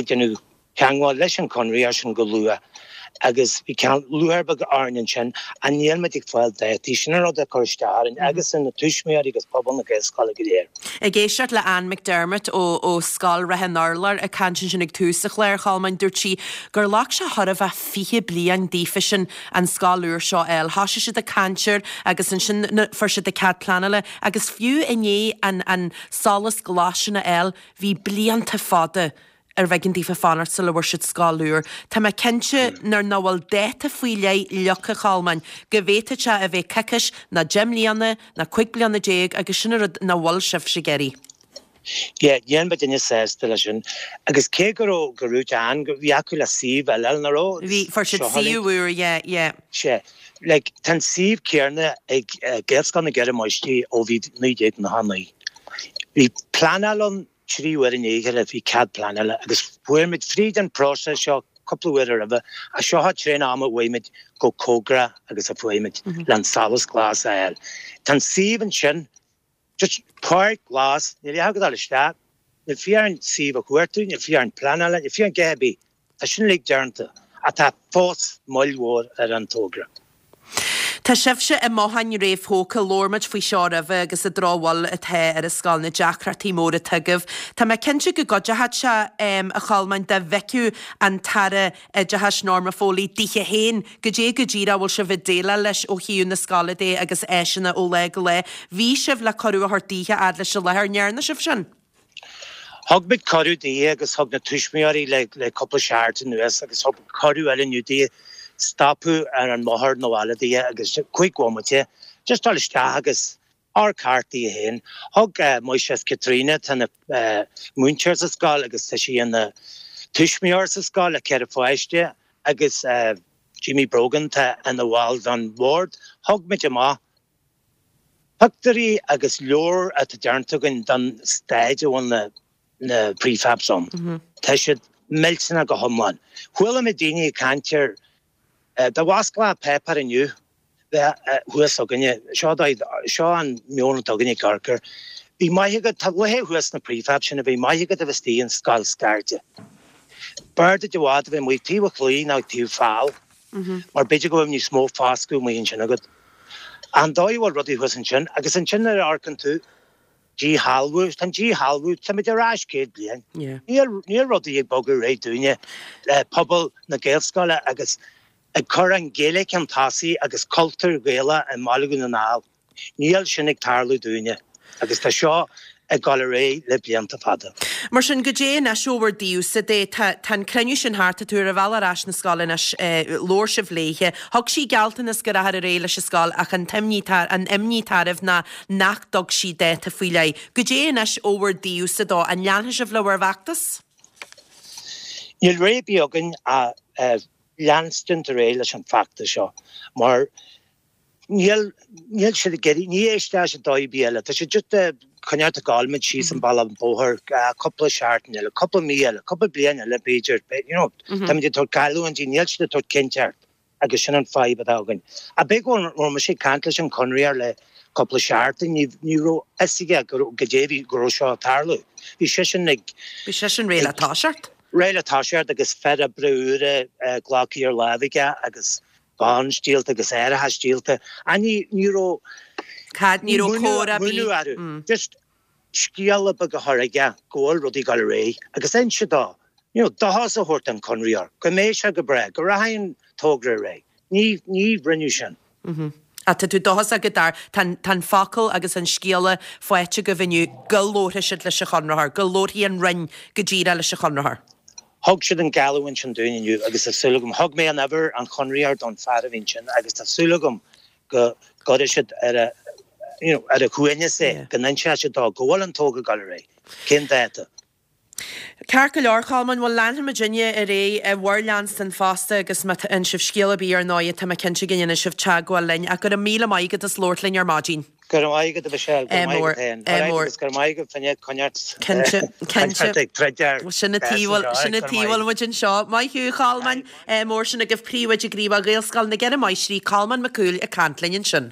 déanamh teagmháil leis an conraitheoir sin go luath agus bhí ceann lúcháir beag orainn ansin ach níl muid ag fáil dátaí sin an rud a chuir isteach orainn agus ar na tuismitheoirí agus pobal na Gaelscoile go léir. Ag éisteacht le Anne McDermott ó ó Scoil Ráth an Urláir ag caint ansin ag tús an chláir, a Cholmáin, dúirt sí gur ghlac sé chóir a bheith fiche bliain daofa sin an scoil úr seo a fháil. Thosaigh siad ag caint air agus ansin fuair siad an cead pleanála agus fiú i ndiaidh an an solas glas sin a fháil bhí blianta fada arbh éigean daofa fanacht sula bhfuair siad scoil úr. Tá mé cinnte nuair nach bhfuil dáta faoi leith leagtha, a Cholmáin, go bhféadfadh sé a bheith coicís ná deich mbliana ná cúig bliana déag agus sin an rud nach bhfuil sibhse ag iarraidh. Yeah, níl muidinne sásta leis sin. Agus cé go raibh go raibh an go bhí acu le suíomh eile nach raibh Bhí, fuair siad suíomh úr, yeah, yeah. Sea. Like, tá an suíomh céanna ag Gaelscoil na gCeithre Máistrí ó bhí naoi déag nócha naoi. Bhí pleanáil ann trí huaire i ndiaidh a chéile, bhí cead pleanála agus fuair muid fríd an próiseas seo cúpla uair roimhe, ach seo an tréan ama a bhfuair muid chomh cóngarach agus a fuair muid le an solas glas a fháil. Tá an suíomh ansin, just páirc ghlas, níl a dhath ag dul isteach, níl fiú orainn suíomh a chuartú, níl fiú orainn pleanála, níl fiú orainn a dhath ar bith. Tá sin uilig déanta ach tá fós moill mhór ar an togra. Tá sibhse i mbotháin réamhthógtha, labhair muid faoi seo roimhe agus an drochbhail atá ar an scoil, na deacrachtaí móra atá agaibh. Tá mé cinnte go gcuideochadh sé, a Cholmáin, dá bhfeicfeadh an tAire Oideachais Norma Foley daoithe féin goidé go díreach a bhfuil sibh ag déileáil leis ó thaobh na scoile de agus áiseanna ó lá go lá. Bhí sibh le cuireadh a thabhairt daoithe fhad leis an láthair, an ndearna sibh sin? Thug muid cuireadh daoithe agus thug na tuismitheoirí le le cúpla seachtain anuas agus thug cuireadh eile inniu daoithe stopadh ar an mbóthar 'na bhaile daoithe agus cúig bhomaite just dul isteach agus amharc thart daoithe féin. Thug Máistreás Caitríona, atá ina múinteoir sa scoil agus tá sí ina tuismitheoir sa scoil le ceithre pháiste agus Jimmy Brogan atá ina bhall den bhord, thug muid amach pictiúirí agus leabhar atá déanta againn don staid a bhfuil na na prefabs ann. Tá siad millteanach go hiomlán. Chuala mé daoine ag caint ar dá bhfosclófá páipéar inniu, bheith thuas againne, seo seo an meon atá againne i gCorcaigh. Bhí maith agat, tá luiche thuas sna prefabs sin a bhí maith agat a bheith istigh in scoil scairte. B'fhearr duit i bhfad a bheith amuigh taobh an chlaí ná taobh fál, mar b'fhéidir go bhfuil níos mó foscadh amuigh ansin agat. An dóigh a bhfuil rudaí thuas ansin, agus ansin nuair a amharcann tú, díshealbhú, tá an díshealbhú, táimid ar ais céad bliain. Níl, níl rudaí ag bogadh ar aghaidh dúinne le pobal na Gaelscoile agus ag cur an Ghaeilge chun tosaigh agus cultúr Gaelach i mBaile Dhún na nGall. Níl sin ag tarlú dúinne agus tá seo ag dul ar aghaidh le blianta fada. Mar sin, goidé anois ó bhur dtaobhsa de? Tá an cruinniú sin thart, tá tú ar an bhealach ar ais na scoile anois, labhair sibh léithe, thug sí gealltanas go rachfar ar aghaidh leis an scoil ach an t-imní, an imní atá oraibh ná nach dtug sí dáta faoi leith. Goidé anois ó bhur dtaobhsa dó? An leanfaidh sibh le bhur bhfeachtas? Níl rogha ar bith againn ach leanstan ar aghaidh leis an bhfeachtas seo mar níl, níl siad ag iarraidh, ní éistfidh siad dóigh ar bith eile. Tá siad just ag coinneáil ag gabháil muid síos an bealach an bóthar cúpla seachtain eile, cúpla mí eile, cúpla bliain eile b'fhéidir, you know, táimid ag tabhairt geallúintí, níl siad ag tabhairt cinnteacht agus sin an fadhb atá againn. Ach b'é go raibh mise ag caint leis an chonraitheoir le cúpla seachtain, ní, ní raibh fhios aige go raibh, goidé bhí, go raibh seo ag tarlú. Bhí seisean ag. Bhí seisean réidh le toiseacht. Réidh le toiseacht agus fir oibre úra glactha ar láimh aige agus bonds díolta agus árachas díolta. Ach ní, ní raibh. Cad, ní raibh comhrá ar bith. Múineadh orthu. Just scéala beag a chur aige go bhfuil rudaí ag dul ar aghaidh agus inse dó, you know, dóchas a thabhairt don chonraitheoir, go mbeidh sé go breá, go rachaidh an togra ar aghaidh. Ní, ní rinneadh sin. Ach tá tú dóchasach go dtar, tá an, tá an focal agus an scéala faighte agaibh inniu go labharfaidh siad leis an chonraitheoir, go labharfaidh an Roinn go díreach leis an chonraitheoir. Thug siad an geallúint sin dúinn inniu agus tá súil agam, thug mé an uimhir an chonraitheoir don fear a bhí ansin agus tá súil agam go gcuirfidh siad ar a, you know, ar a shuaimhneas é, go n-inseoidh siad dó go bhfuil an togra ag dul ar aghaidh, cén dáta. Ceart go leor, Cholmáin, bhuel leanfaidh muidinne ar aghaidh i bhur leanstan fosta agus má fhaigheann sibh scéal ar bith ar ndóigh tá mé cinnte go ndéanfaidh sibh teagmháil linn ach go raibh míle maith agat as labhairt linn ar maidin. Go raibh maith agat a Mhichelle, go raibh maith agat féin. Ádh mór. Agus go raibh maith agat féin coinneáilt Cinnte, cinnte. ag troid ar Sin an tuige a bhfuil, sin an tuige a bhfuil muid anseo. Maith thú, a Cholmáin. Ádh mór sin agaibh Príomhoide Gníomhach Ghaelscoil na gCeithre Máistrí, Colmán Mac Cumhaill ag caint linn ansin.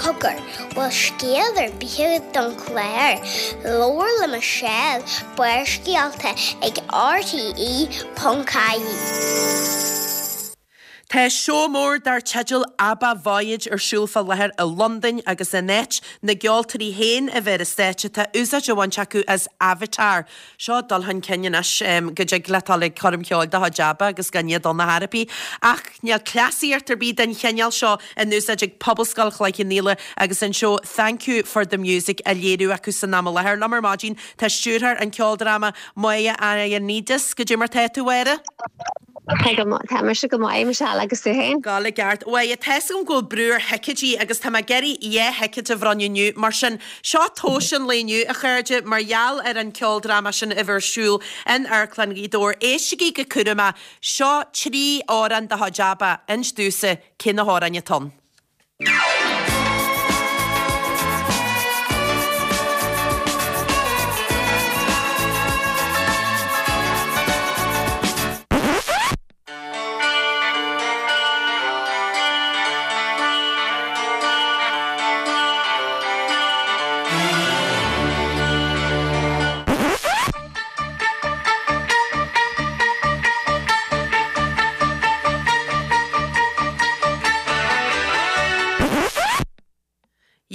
Cogar, bhfuil scéal ar bith agat don chlár? Labhair le Michelle, Barrscéalta ag RTE ponc ie. Tá seó mór dar teideal ABBA Voyage ar siúl fá láthair i Londain agus in áit na gceoltóirí féin a bheith ar an stáitse tá úsáid á bhaint acu as Avatar. Seo dul chun cinn anois go dtig leat dul ag coirm cheoil de chuid ABBA agus gan iad ann ar chor ar bith. Ach níl cleasaíocht ar bith den chineál seo in úsáid ag Pobalscoil Chloich Cheann Fhaola agus an seó Thank You for the Music á léiriú acu san am i láthair. Liom ar maidin tá stiúrthóir an cheoldráma, Máire Ioannidis. Goidé mar tá tú, a Mháire? Tá go maith, tá mise go maith, Michelle, agus tú féin? Go i gceart. Bhuel, tá 'fhios agam go bhfuil brú ar thicéidí agus tá mé ag iarraidh dhá thicéad a bhronnadh inniu. Mar sin, seo tomhas an lae inniu, a chairde, mar gheall ar an cheoldráma sin a bheith ar siúl in Amharclann Ghaoth Dobhair. Éistigí go cúramach. Seo trí amhrán de chuid ABBA. Inis domhsa cé na hamhráin atá ann.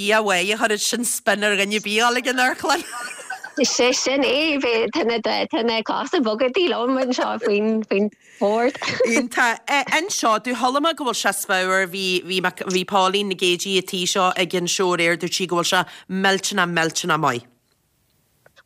Dhia uaidh, a chuirfeadh sin spin ar dhuine ar bith a dhul ag an amharclann. Sé sin é, tá na tá na cosa boga liom anseo faoin faoin bhord. Iontach. Anseo, do chuala mé go bhfuil sé spiormhar, bhí bhí bhí Pauline Nic Géidigh an tí seo ag an seó aréir, dúirt sí go bhfuil sé millteanach millteanach maith.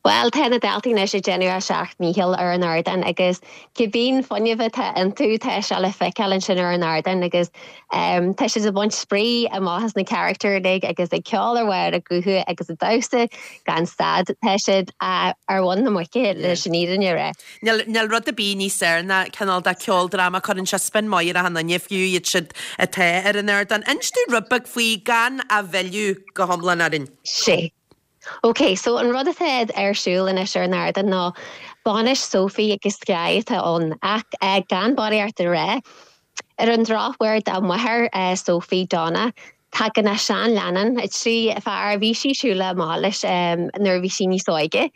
Bhuel, tá na daltaí anois ag déanamh a seacht ndícheall ar an ardán agus cibé fuinneamh atá iontu, tá sé le feiceáil ansin ar an ardán agus tá siad ag baint spraoi amach as na carachtair uilig agus ag ceol ar bharr a gutha agus ag damhsa gan stad. Tá siad ar mhuin na muice leis an fhírinne a rá. Níl, níl rud ar bith níos fearr ná cineál de ceoldráma, cuireann sé spin maith ar achan duine, fiú iad siúd atá ar an ardán. Inis dúinn rud beag faoi gan a mhilleadh go hiomlán orainn. Sé. Ok, so an rud atá ar siúl anois ar an ardán ná bainis Sophie agus Sky atá ann, ach gan barraíocht a rá, Ar an drochuair dá máthair Sophie Donna, tagann a seanleannán, trí fear a bhí sí siúl amach leis nuair a bhí sí níos óige,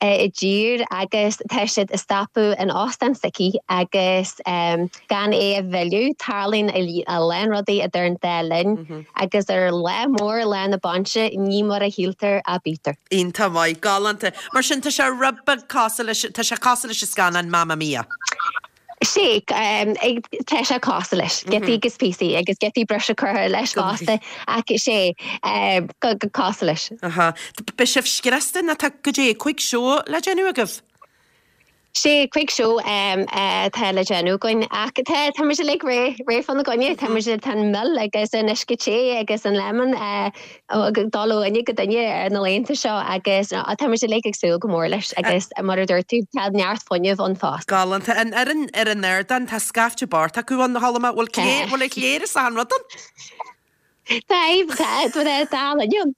i dtír agus tá siad ag stopadh in óstán s'aici agus gan é a mhilleadh, tarlaíonn a lán rudaí idir an dá linn agus ar lá mór lá na bainse ní mar a shíltear a bítear. Iontach maith, galánta. Mar sin tá sé rud beag cosúil leis, tá sé cosúil leis an scannán Mamma Mia. Sea, tá sé cosúil leis, giotaí agus píosaí agus giotaí breise curtha leis fosta ach sea, go cosúil leis. Aha. Beidh sibh scriosta nó tá goidé cúig seó le déanamh agaibh? Sea, cúig seó atá le déanamh againn ach tá tá muid uilig réidh réidh fána gcoinne, tá muid tá an mil agus an uisce te agus an lemon ag dul ó dhuine go duine ar na laethanta seo agus tá muid uilig ag súil go mór leis agus mar a dúirt tú, tá neart fuinnimh ann fosta. Galánta. An fhoireann ar an ardán, tá scaifte bocht acu ann, a chuala mé. Bhfuil clé, bhfuil a chléir is achan rud ann? Tá, tá, tá, tá ann.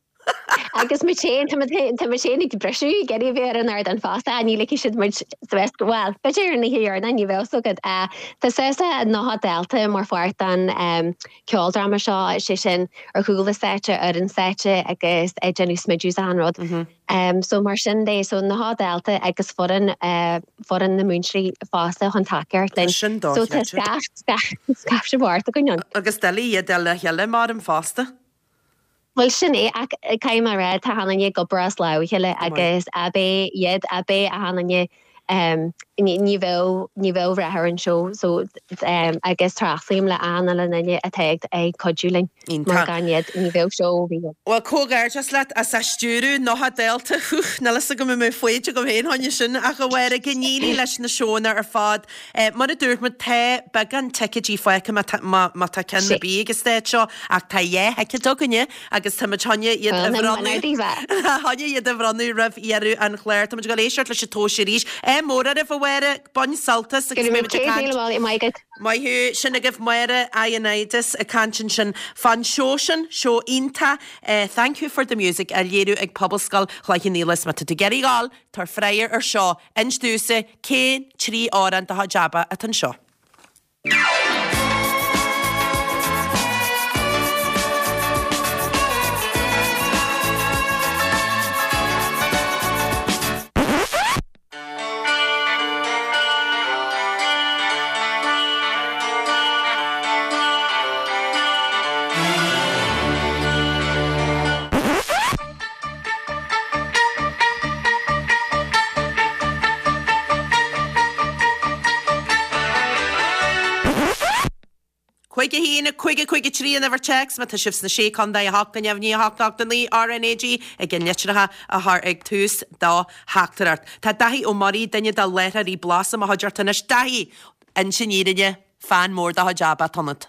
Agus muid féin, tá muid féin ag briseadh ag iarraidh a bheith ar an ardán fosta, ní ligfidh siad muid suas go, bhuel, b'fhéidir ar an oíche dheireanach, ní bheadh fhios agat. Tá suas le nócha dalta mar pháirt den ceoldráma seo, sé sin ar chúl an stáitse, ar an stáitse agus ag déanamh smideadh is achan rud. So mar sin de, so nócha dalta agus foireann, foireann na múinteoirí fosta chun tacaíocht linn. Sin So tá scaifte bocht againn ann. Agus doiligh iad a fháil le chéile, maram fosta. Bhuel, sin é, ach caithfidh mé a rá, tá achan duine ag obair as lámh a chéile agus ab é iad, ab é achan duine, ní bheadh, ní bheadh rath ar an seó so agus tréaslaím le achan uile duine atá ag cuidiú linn mar gan iad ní bheadh seó ar bith ann. Bhuel, comhghairdeas leat as a stiúradh, nócha dalta, hú, níl fhios agam an mbeadh foighid agam féin fá choinne sin ach a Mháire, go n-éirí leis na seónna ar fad. Mar a dúirt muid, tá beagán ticéidí fágtha má tá ceann ar bith ag an staid seo ach tá dhá thicéad againne agus táimid chun iad a bhronnadh chun iad a bhronnadh roimh dheireadh an chláir. Táimid ag dul éisteacht leis an tomhais arís. Ádh mór oraibh, a Mháire, bain sult as agus beidh muid ag caint. Maith agat. Maith thú. Sin agaibh Máire Ioannidis ag caint ansin fán seó sin, seó iontach, Thank You for the Music á léiriú ag Pobalscoil Chloich Cheann Fhaola. Is má tá tú ag iarraidh a ghabháil, tabhair freagra ar seo, inis domhsa cén trí amhrán de chuid ABBA atá anseo. Cúig a haon, cúig a cúig a trí an uimhir téacs má tá sibh sna Sé Chontae, a hocht go neamhní, a hocht ocht a naoi, RnaG ag an litreacha a chur ag tús do theachtaireacht. Tá Daithí Ó Muirí, duine de láithreoirí Blas i mo chuideachta anois. Daithí, inis an fhírinne, fan mór de chuid ABBA atá ionat.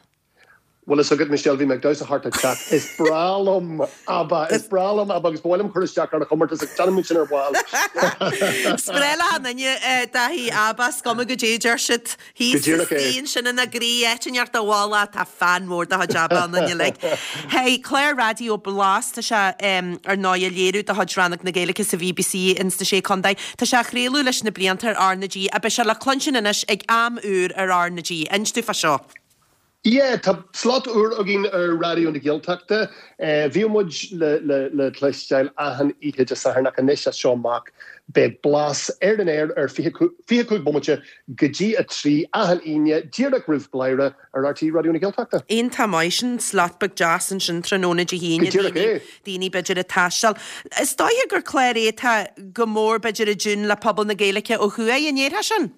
Bhfuil fhios agat, Michelle, bhí mé ag damhsa thart an teach. Is breá liom ABBA, is breá liom ABBA agus ba mhaith liom cur isteach ar an chomórtas ach déanfaidh muid sin ar ball. Is breá le achan duine, Daithí, ABBA, is cuma goidé a deir siad. Go Thíos díreach é. istigh ansin ina gcroí, áit inteacht a mhála, tá fan mór de chuid ABBA ionainn uilig. Hey, clár raidió Blas, tá sé ar ndóigh á léiriú de chuid Rannóg na Gaeilge sa BBC ins na Sé Contae. Tá sé á chraoladh leis na blianta ar RnaG ach beidh sé le cluinstin anois ag am úr ar RnaG. Inis domh fá seo. Yeah, tá slot úr againn ar Raidió na Gaeltachta. Bhíodh muid le cloisteáil achan oíche Dé Sathairn ach anois as seo amach beidh Blas ar an aer ar fiche cúig bomaite go dtí a trí achan Aoine díreach roimh Bladhaire ar RTÉ Raidió na Gaeltachta. Iontach maith sin, slot beag deas ansin tráthnóna Dé hAoine, Go díreach é. daoine b'fhéidir ag taisteal. Is dóiche gur clár é atá go mór b'fhéidir i dtiún le pobal na Gaeilge ó thuaidh, an ndéarfá sin?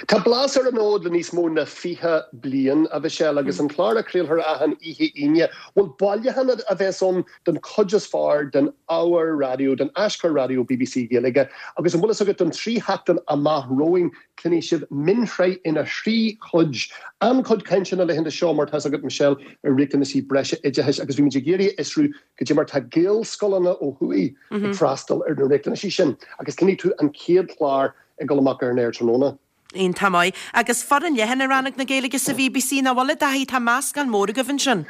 Tá Blas ar an fhód le níos mó ná fiche bliain, a Mhichelle, agus an clár a chraolfar achan oíche Aoine, bhuel, bailiúchán a bheas ann den chuid is fearr den ábhar raidió, den aschur raidió bbc Gaeilge. Agus an bhfuil fhios agat, don trí sheachtain amach romhainn, cluinfidh sibh mionshraith ina thrí chuid. An-chuid cainte na laethanta seo, mar tá fhios agat, Michelle, ar riachtanaisí breise oideachais agus bhí muid ag iarraidh a fhiosrú goidé mar tá Gaelscoileanna ó thuaidh ag freastal ar na riachtanaisí sin. Agus cluinfidh tú an chéad chlár ag dul amach ar an aer tráthnóna. Iontach maith. Agus foireann leathan i Rannóg na Gaeilge sa BBC, nach bhfuil, a Dhaithí? Tá meascán mór agaibh ansin.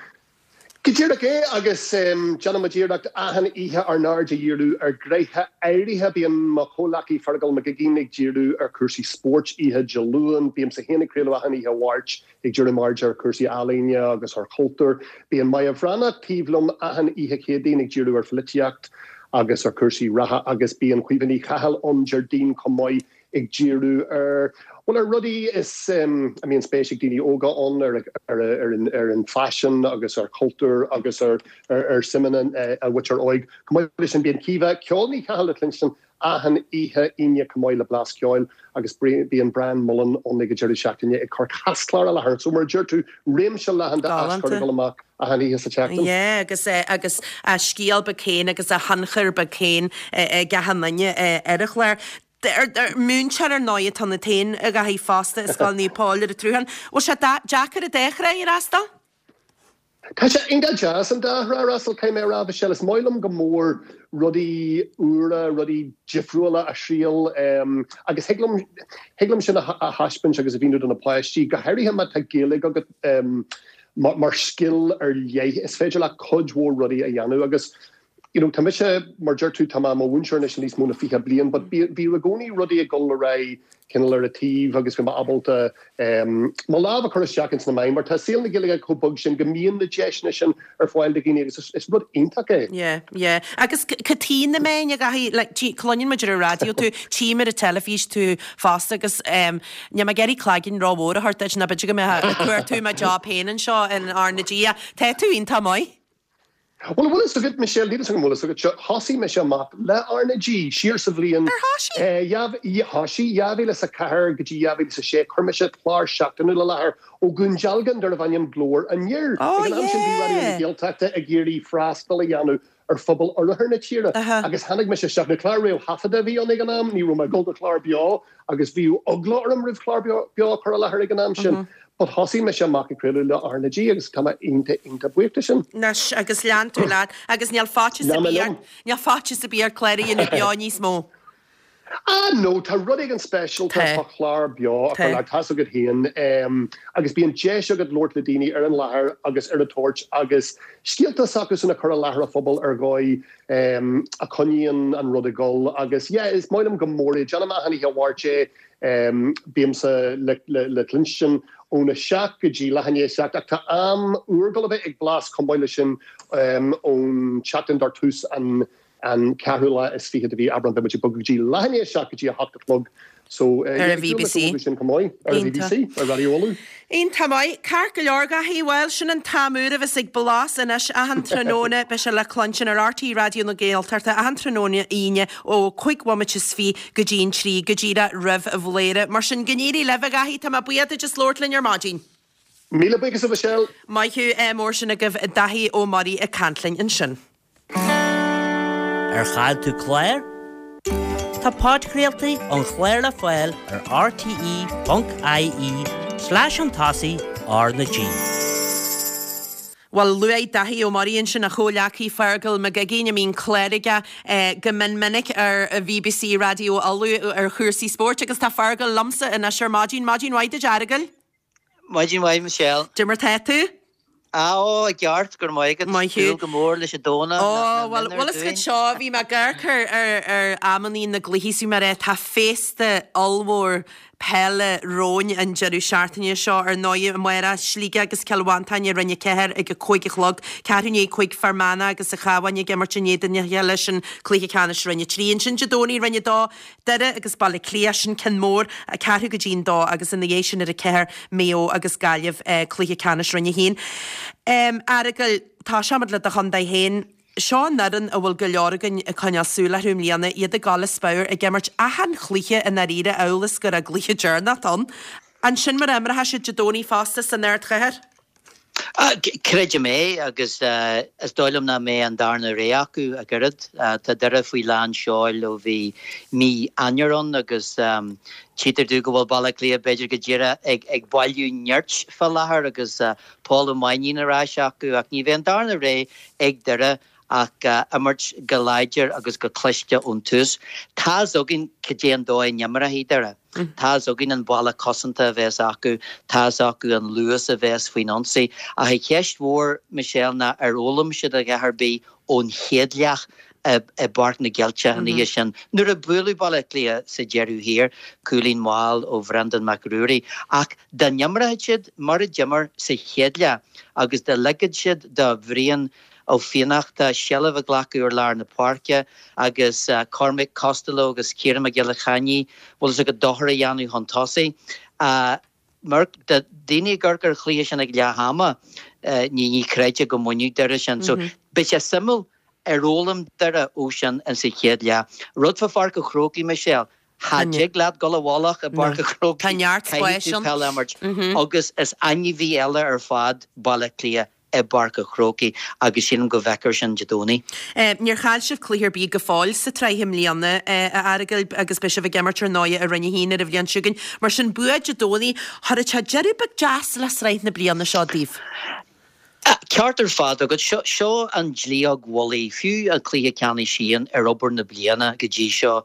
Go díreach é agus déanaimid iarracht achan oíche ár n-aird a dhíriú ar ghnéithe áirithe. Bíonn mo chomhleacaí Feargal Mac Uiginn ag díriú ar chúrsaí spóirt oíche Dé Luain. Bímse féin ag craoladh achan oíche Mháirt ag díriú m'aird ar chúrsaí ealaíne agus ar chultúr. Bíonn Moya Bhreathnach taobh liom achan oíche Chéadaoin ag díriú ar pholaitíocht agus ar chúrsaí reatha agus bíonn Caoimhe Ní Chathail ann Déardaoin chomh maith ag díriú ar bhuel ar rudaí is a mbíonn spéis ag daoine óga ann, ar ar ar an ar an faisean agus ar chultúr agus ar ar ar suimeanna an mhuintir óig. Chomh maith leis sin bíonn Caoimhe Ceol Ní Chathail le cluinstin achan oíche Aoine chomh maith le Blas Ceoil agus bíonn Brian Mullen ann ag an deireadh seachtaine ag cur caschlár i láthair. So mar a deir tú, réimse leathan d'aschur ag dul amach achan oíche sa tseachtain. Yeah, agus agus a scéal beag féin agus a thionchar beag féin ag achan duine ar an chlár. Múinteoir ar ndóigh atá ionat féin a Dhaithí fosta i Scoil Naomh Pól ar an tSrutháin. Bhfuil sé deacair an dá thrá a fhreastal? Tá sé iontach deas an dá thrá a fhreastal, caithfidh mé a rá, Michelle. Is maith liom go mór rudaí úra, rudaí difriúla a thriail agus thig liom, thig liom sin a thaispeáint agus a mhíniú do na páistí, go háirithe má tá Gaeilge agat mar scil ar leith, is féidir leat cuid mhór rudaí a dhéanamh agus you know, tá mise, mar deir tú, tá mé i mo mhúinteoir anois níos mó na fiche bliain, but bhí i gcónaí rudaí ag dul ar aghaidh cineál ar an taobh agus bhí mé ábalta mo lámh a chur isteach ins na meáin, mar tá saol na Gaeilge chomh beag sin go mbíonn na deiseanna sin ar fáil do dhaoine agus is rud iontach é. Yeah, yeah. Agus cad chuige na meáin a Dhaithí, like, cluineann muid ar an raidió tú, tchím ar an teilifís tú fosta agus um, níl mé ag iarraidh cloigeann rómhór a thabhairt duit ná b'fhéidir go mbeadh ag cuartú mo job féin anseo in R na G. Tá tú iontach maith. Bhuel, an bhfuil fhios agat, Michelle, níl fhios agam an bhfuil fhios agat seo, thosaigh mise amach le R na G siar sa bhliain. Ar thosaigh? Thosaigh, dhá mhíle is a ceathair go dtí dhá mhíle is a sé, chuir mise clár seachtainiúil i láthair ó Dhún Dealgan darbh ainm Glór Aniar. Oh Ag an am sin bhí Raidió na yeah! Gaeltachta ag iarraidh freastal a dhéanamh ar phobal oirthear na tíre Aha. agus tháinig mise isteach, nó clár réamhthaifeadta a bhí ann ag an am, ní raibh mé ag dul do chlár beo agus bhí eagla orm roimh chlár beo a chur i láthair ag an am sin. But thosaigh mise amach ag craoladh le R na G agus tá mé iontach iontach buíoch de sin. Anois agus lean tú leat agus níl faitíos ar Lean mé bith liom. ort, níl faitíos ar bith ort clár a dhéanamh beo níos mó. Ah no, tá rud éigin speisialta Tá. fá chlár beo a chur Tá. le tá's agat féin agus bíonn deis agat labhairt le daoine ar an láthair agus ar an toirt agus scéalta s'acusan a chur i láthair an phobail ar dhóigh a choinníonn an rud ag dul agus yeah is maith liom go mór é. Déanaim achan oíche Mháirt é. Bímse le cluinstin óna seacht go dtí leath i ndiaidh a seacht ach tá am úr ag dul a bheith ag Blas chomh maith leis sin ón tseachtain dar tús an an ceathrú lá is fiche de mhí Aibreán. Beidh muid ag bogadh go dtí leath i ndiaidh a seacht go dtí a hocht a chlog so Ar an BBC. sin chomh maith ar an BBC, ar Raidió Uladh. Iontach maith. Ceart go leor, a Dhaithí. Bhuel, sin an t-am úr a bheas ag Blas anois achan tráthnóna. Beidh sé le cluinstin ar RTÉ Raidió na Gaeltachta achan tráthnóna Aoine ó cúig bhomaite is fiche go dtí an trí, go díreach roimh Bhladhaire. Mar sin, go n-éirí libh, a Dhaithí. Tá mé buíoch duit as labhairt linn ar maidin. Míle buíochas, a Mhichelle. Maith thú. Mór sin agaibh Daithí Ó Muirí ag caint linn ansin. Ar chaill tú clár? Tá podchraoltaí an chláir le fáil ar rte.ie slash an tosaigh R na G. Bhuel, luaigh Daithí Ó Muirí ansin a chomhleacaí Feargal Mac Uiginn, a mbíonn clár aige go mion minic ar BBC Raidió Uladh ar chúrsaí spóirt agus tá Feargal liomsa anois ar maidin. Maidin mhaith duit, a Fheargail. Maidin mhaith, Michelle. Cad é mar tá tú? Á, ó, i gceart, go raibh maith agat. Maith thú. Súil go mór leis an Domhnach. Ó, bhuel, bhfuil fhios agat seo, bhí mé ag amharc ar, ar, ar amannaí na gcluichí is bhí mé ag rá, tá féasta ollmhór peile romhainn an deireadh seachtaine seo. Ar ndóigh, amárach, Sligeach agus Cill Mhantáin i Roinn a Ceathair ag a cúig a chlog, ceathrú i ndiaidh a cúig Fear Manach agus an Cabhán ag imirt in éadan a chéile, sin cluiche ceannais Roinn a Trí. Ansin Dé Domhnaigh, Roinn a Dó, Doire agus Baile Átha Cliath, sin ceann mór, ceathrú go dtí an dó agus ina dhiaidh sin ar a ceathair, Maigh Eo agus Gaillimh, cluiche ceannais Roinn a haon. A Fheargail, toiseoimid le do chontae féin. Seo an fhoireann a bhfuil go leor againn ag coinneáil súil orthu i mbliana, iad ag gabháil as pabhar, ag imirt achan chluiche i ndáiríre amhail is go raibh cluiche deireanach ann. An sin mar a imreoidh siad Dé Domhnaigh fosta san ardchathair? Creidim é agus is dóigh liom nach mbeidh an darna rogha acu ach oiread. Tá Doire faoi lán seoil ó bhí mí Eanáir ann agus tchítear domh go bhfuil Baile Átha Cliath b'fhéidir go díreach ag bailiú nirt fá láthair agus Paul Ó Mainnín ar ais acu ach ní bheidh an darna rogha ag Doire ach imirt go láidir agus go cliste ón tús. Tá's againn cad é an dóigh a n-imreoidh Doire. Tá's againn an balla cosanta a bheas acu, tá's acu an luas a bheas faoin ionsaí. Ach an cheist mhór, Michelle, ná ar fhoghlaim siad a dhath ar bith ón chéad leath i bPáirc na gCeilteach an oíche sin nuair a buaileadh Baile Átha Cliath sa deireadh thiar, cúilín mall ó Bhreandán Mac Ruairí. Ach dá n-imreoidh siad mar a d'imir sa chéad leath agus dá ligfeadh siad do Bhrian Ó Fiannachta seilbh a ghlacadh ar lár na páirce agus Cormac Costello agus Ciarán Mac Giolla Chainnigh, bhfuil fhios agat, dochar a dhéanamh chun tosaigh. Mar dá daoine ag amharc ar an chluiche sin ag leath ama, ní ní chreidfeá go mbainfeadh Doire sin. So beidh sé suimiúil ar fhoghlaim Doire ó sin in sa chéad leath. Rud fá Pháirc an Chrócaigh, Michelle, cha dtig leat dul i bhfolach i bPáirc an Chrócaigh, Tá neart caithfidh spáis tú ann. peil a imirt agus is ainmhí eile ar fad Baile Átha Cliath i bPáirc an Chrócaigh agus sílim go bhfeicfear sin Dé Domhnaigh. Níor chaill sibh cluiche ar bith go fóill sa tsraith i mbliana, a Fhearghail, agus beidh sibh ag imirt ar ndóigh i Roinn a haon ar an bhliain seo chugainn. Mar sin, bua Dé Domhnaigh, chuirfeadh sé deireadh beag deas le sraith na bliana seo daoibh. Ceart ar fad agat. Seo, seo an dlaíóg mhullaigh, fiú an cluiche ceannais sin ar obair na bliana go dtí seo.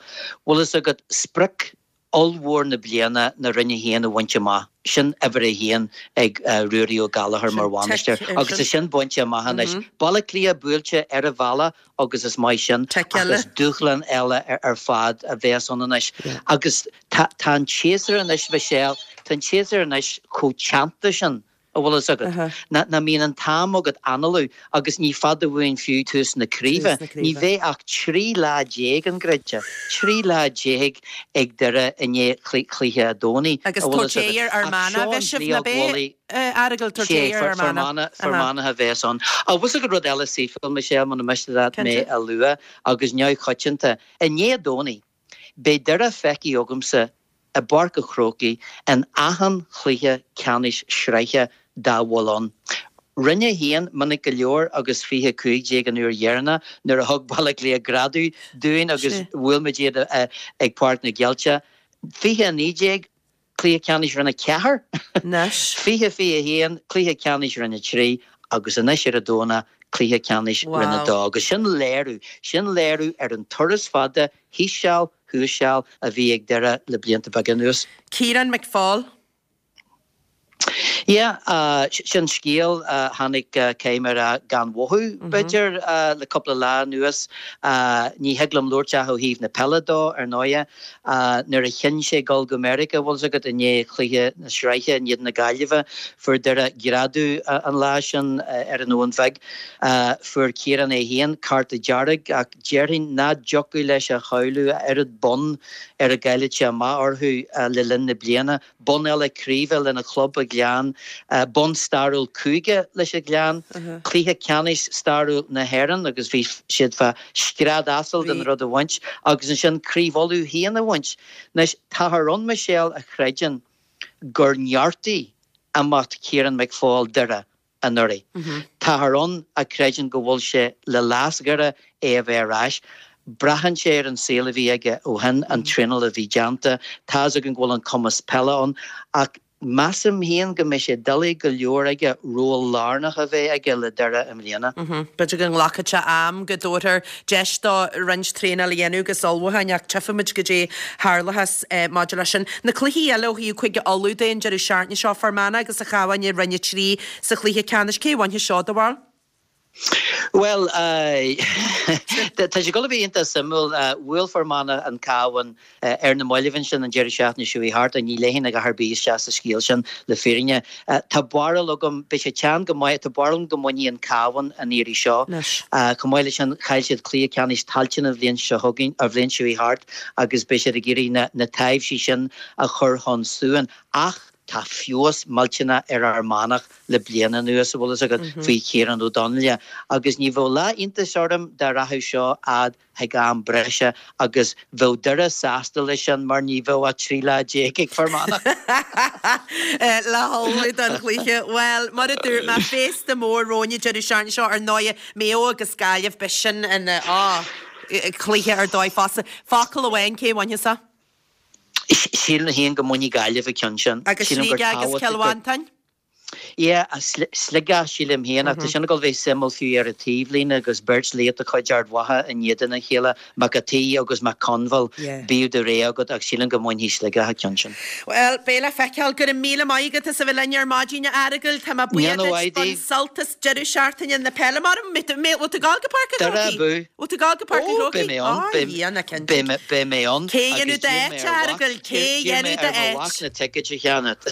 Bhfuil fhios agat, sprioc ollmhór na bliana ná Roinn a haon a bhaint amach. Sin uimhir a haon ag Ruairí Ó Gallchóir mar bhainisteoir agus tá sin bainte amach anois. Baile Átha Cliath buailte ar a bhealach agus is maith sin ach is dúshlán eile ar fad a bheas ann anois. Agus tá an séasúr anois, Michelle, tá an séasúr anois chomh teannta sin. a bhfuil fhios agat, nach mbíonn an t-am agat análú agus ní fada uainn fiú tús na craoibhe. Ní bheidh ach trí lá déag an gcreidfeá, trí lá déag ag Doire i ndiaidh chluiche an Domhnaigh, Agus a bhfuil tabhairt fhios agat. ar Fhear Ach Manach seo a an bheidh sibh, dlaíóg ná beidh, mhullaigh. a Fhearghail, tabhairt Sé, ar Fhear Fear Manach. Manach, Fear Manach a bheas ann. Ach bhfuil fhios agat rud eile saoithiúil, Michelle, muna miste leat mé Cinnte. a lua, agus neamhchoitianta, i ndiaidh an Domhnaigh, beidh Doire feicthe agamsa i bPáirc an Chrócaigh in achan chluiche ceannais sraithe dá bhfuil ann. Roinn a haon, minic go leor agus fiche cúig déag an uair dheireanach nuair a thug Baile Átha Cliath greadadh dúinn agus bhuail muid iad ag Páirc na gCeilteach. fiche a naoi déag, cluiche ceannais Roinn a ceathair. fiche fiche a haon, cluiche ceannais Roinn a trí agus anois ar an Domhnach, cluiche ceannais Roinn a dó. Agus sin léiriú, sin léiriú ar an turas fada thíos seal, thuas seal a bhí ag Doire le blianta beaga anuas. Ciarán McFaul. Yeah, sin scéal a tháinig caithfidh mé a rá gan mhothú, b'fhéidir, le cúpla lá anuas. Ní thig liom labhairt ach ó thaobh na peile dó, ar ndóighe. Nuair a chinn sé dul go Meiriceá, bhfuil 'fhios agat, i ndiaidh chluiche na sraithe in éadan na Gaillimhe, fuair Doire greadadh an lá sin ar an Abhainn Bheag. Fuair Ciarán é féin cárta dearg ach déarfainn ná dtiocfadh leis a shamhlú a oiread bonn ar a gcaillfeadh sé amach orthu le linn na bliana. Bonn eile craoibhe lena chlub, an Gleann, bonn stairiúil cúige leis an Ghleann, cluiche ceannais stairiúil na hÉireann agus bhí siad fá scread asail den rud a bhaint agus ansin Craobh Uladh féin a bhaint. Anois, táthar ann, Michelle, a chreideann gur neartaigh imeacht Ciarán McFaul Doire anuraidh. Táthar ann a chreideann go bhfuil sé le leas Dhoire é a bheith ar ais. Braitheann sé ar an saol a bhí aige ó shin, an traenáil a bhí déanta. Tá's againn go bhfuil an cumas peile ann ach measaim féin go mbeidh sé doiligh go leor aige ról lárnach a bheith aige le Doire i mbliana. B'fhéidir go nglacfaidh sé am, go dtabharfar deis dó roinnt traenáil a dhéanamh agus ullmhúcháin ach tchífimid goidé tharlóchas maidir leis sin. Na cluichí eile ó thaobh Chúige Uladh de an deireadh seachtaine seo, Fear Manach agus an Cabhán i Roinn a trí sa chluiche ceannais. Cé a bhainfidh seo, do bharúil? Bhuel, tá sé ag dul a bheith iontach suimiúil. Bhuail Fear Manach an Cabhán ar na mallaibh ansin an deireadh seachtaine seo chuaigh thart, ní léifinn a dhath ar bith isteach sa scéal sin, le fírinne. Tá barúil agam, beidh sé teann go maith, tá barúil agam go mbainfidh an Cabhán an iarraidh seo. Chomh maith leis sin, chaill siad cluiche ceannais Tailteann an bhliain seo chugainn, an bhliain seo chuaigh thart agus beidh siad ag iarraidh na taibhsí sin a chur chun suain. Ach tá feabhas millteanach ar Fhear Manach le bliain anuas, a bhfuil fhios agat, faoi Chiarán Ó Donnghaile. Agus ní bheadh lá iontais orm dá rachadh seo fhad chuig am breise agus bheadh Doire sásta leis sin mar ní bheadh ach trí lá déag ag Fear Manach. Le hullmhú don chluiche. Bhuel, mar a dúirt mé, féasta mór romhainn an deireadh seachtaine seo, ar ndóighe, Maigh Eo agus Gaillimh, beidh sin ina, á, cluiche ar dóigh fosta. Focal amháin, cé a bhainfeas é? Sílim féin go mbainfidh Gaillimh an ceann sin. Agus Sílim gur Sligeach agus tábhachtach Cill gur. Mhantáin? Yeah, Sligeach sílim féin ach tá sin ag dul bheith suimiúil fiú ar an taobhlíne agus beirt laoch de chuid Ard Mhacha in éadan a chéile, Mac an tSaoi agus Mac Conmhail, bíodh do rogha agat ach sílim go mbainfidh Sligeach an ceann sin. Bhuel, beidh le feiceáil. Go raibh míle maith agat as a bheith linn ar maidin, a Fhearghail. Tá mé buíoch duit don sult as deireadh seachtaine na peile. Mar bhfuil tú ag dul go Páirc an Chrócaigh? Bhfuil tú ag dul go Páirc an Chrócaigh? Beidh mé ann. Beidh mé ann. Cé dhéanadh d'áit, a Fhearghail? Cé dhéanadh d'áit? D'iarr mé ar mo mhac na ticéid a cheannach.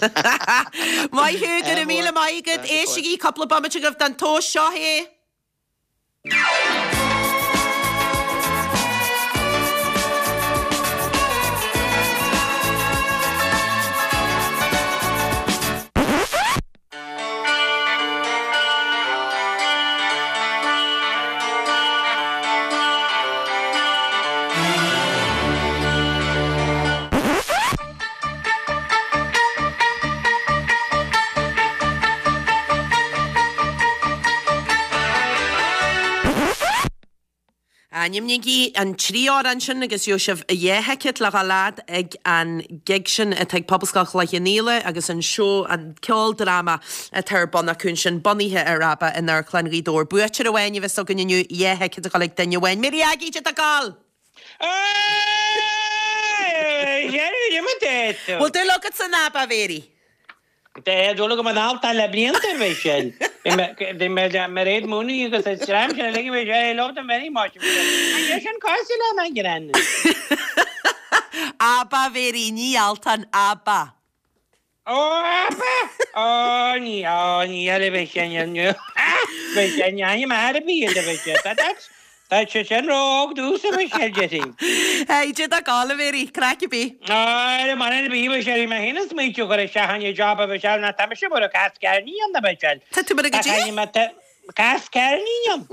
Maith thú, go raibh míle maith agat. Éistigí cúpla bomaite agaibh den tomhas seo é. Ainmnígí an trí amhrán sin agus gheobhaidh sibh dhá thicéad le dhul fhad ag an gig sin atá ag Pobalscoil Chloich Cheann Fhaola agus an seó, an ceoldráma atá ar bun acu ansin bunaithe ar ABBA in Amharclann Ghaoth Dobhair. Buaiteoir amháin a bheas againn inniu, dhá thicéad ag dul ag duine amháin. Mary Aggie, cad tá ag gabháil? Bhfuil dúil agat san ABBA, a Mhary? Tá dúil agam in altan le blianta, a Mhichelle. Bhí mé le Mairéad Mooney agus an dream sin uilig, bhí sé, I love them very much. An é sin cosúil le an greann? ABBA, a Mhary, ní altan, ABBA. Ó, ABBA! Ó, ní, ó, ní eile bheith sin inniu. Bheith sin, ainm Arabi iad a bheith sin. That's, Tá sé sin ró-óg domhsa, a Mhichelle, déarfainn. Hey, cad tá ag gabháil, a Mhary, craic ar bith. Ar an mbaile bhí Mhichelle, bhí mé féin ag smaointiú chur isteach an job a Mhichelle ná tá mise mar a cás ceirnín ann a Mhichelle. Tá tú mar a goidé? Cás ceirnín ann.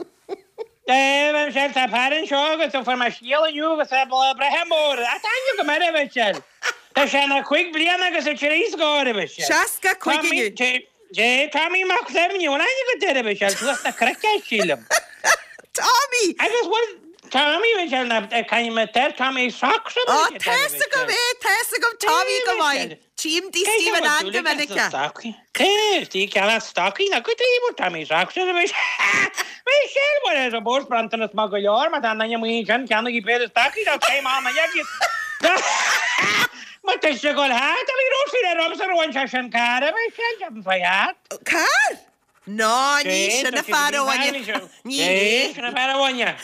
Eh, Mhichelle, tá fear anseo agus fuair mé scéal inniu agus é breithe mór. Tá aithne agam air a Mhichelle. Tá sé ina cúig bliana agus a trí scór a Mhichelle. Seasca cúig inniu. Dé, Tommy Mac Suibhne, bhfuil aithne agat air a Mhichelle, suas na cnoic é sílim. Tommy! Agus bhfuil Tommy, Mhichelle, ná caithfidh mé air Tommy Socks a Ó, tá's agam é, tá's agam Tommy go maith. Tchím tigh Stephen Ann go minic é. Cé, tí ceann stocaí, ná go dtí bhfuil Tommy Socks ar a Mhichelle. Mhichelle, bhuel, ar an bpóst bronntanas maith go leor, má tá an duine amuigh ansin, ceannaigí péire stocaí, tá céim ann a dheaghaidh. Má tá sé ag dul thart, bhí Róisín le Robson a bhain sé sin carr, a bhí sé an fai thart. Carr? Ná, ní sin an fear a bhain. Ní hé. Sin an fear a bhain. É,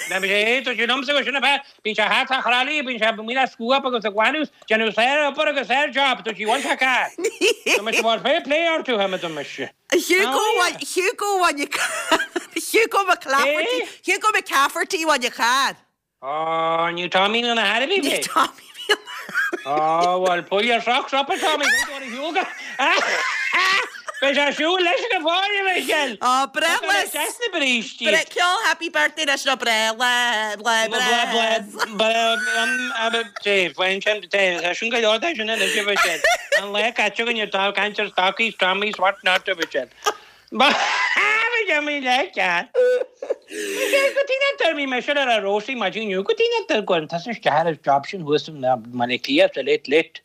tá sé liomsa go sin an fear. Bíonn sé thart sa chrallaí, bíonn sé amuigh le scuab agus ag glanadh, déanamh saor obair agus saor job, tá sí bhain sé carr. Tá mise bhfuil fair play orthu, tá mé mise. Hugo Hugo bhain Hugo McClafferty Hugo McCafferty bhain a charr. Ó, ní Tommy na hAirbí Ní Tommy Ó, bhuel, pull your socks up, a Tommy, don't worry, Hugo. Beidh sé siúl leis go fóill, a Mhichelle. Ó, breithlá. Deas na brístí. Bre, ceol happy birthday leis nó breithlá, lá breithe. Dé, faoin sin, dé, tá sin go leor de sin anois, a Mhichelle. An lá caite againn ag caint ar stocaí, Tommy, what not, a Mhichelle. Bhí mé le ceart. Go dtí na dtuairmí mé sin ar a Rósaí maidin inniu, go dtí na dtuair go tusa isteach ar an job sin thuas i mBaile Átha Cliath sa Late Late.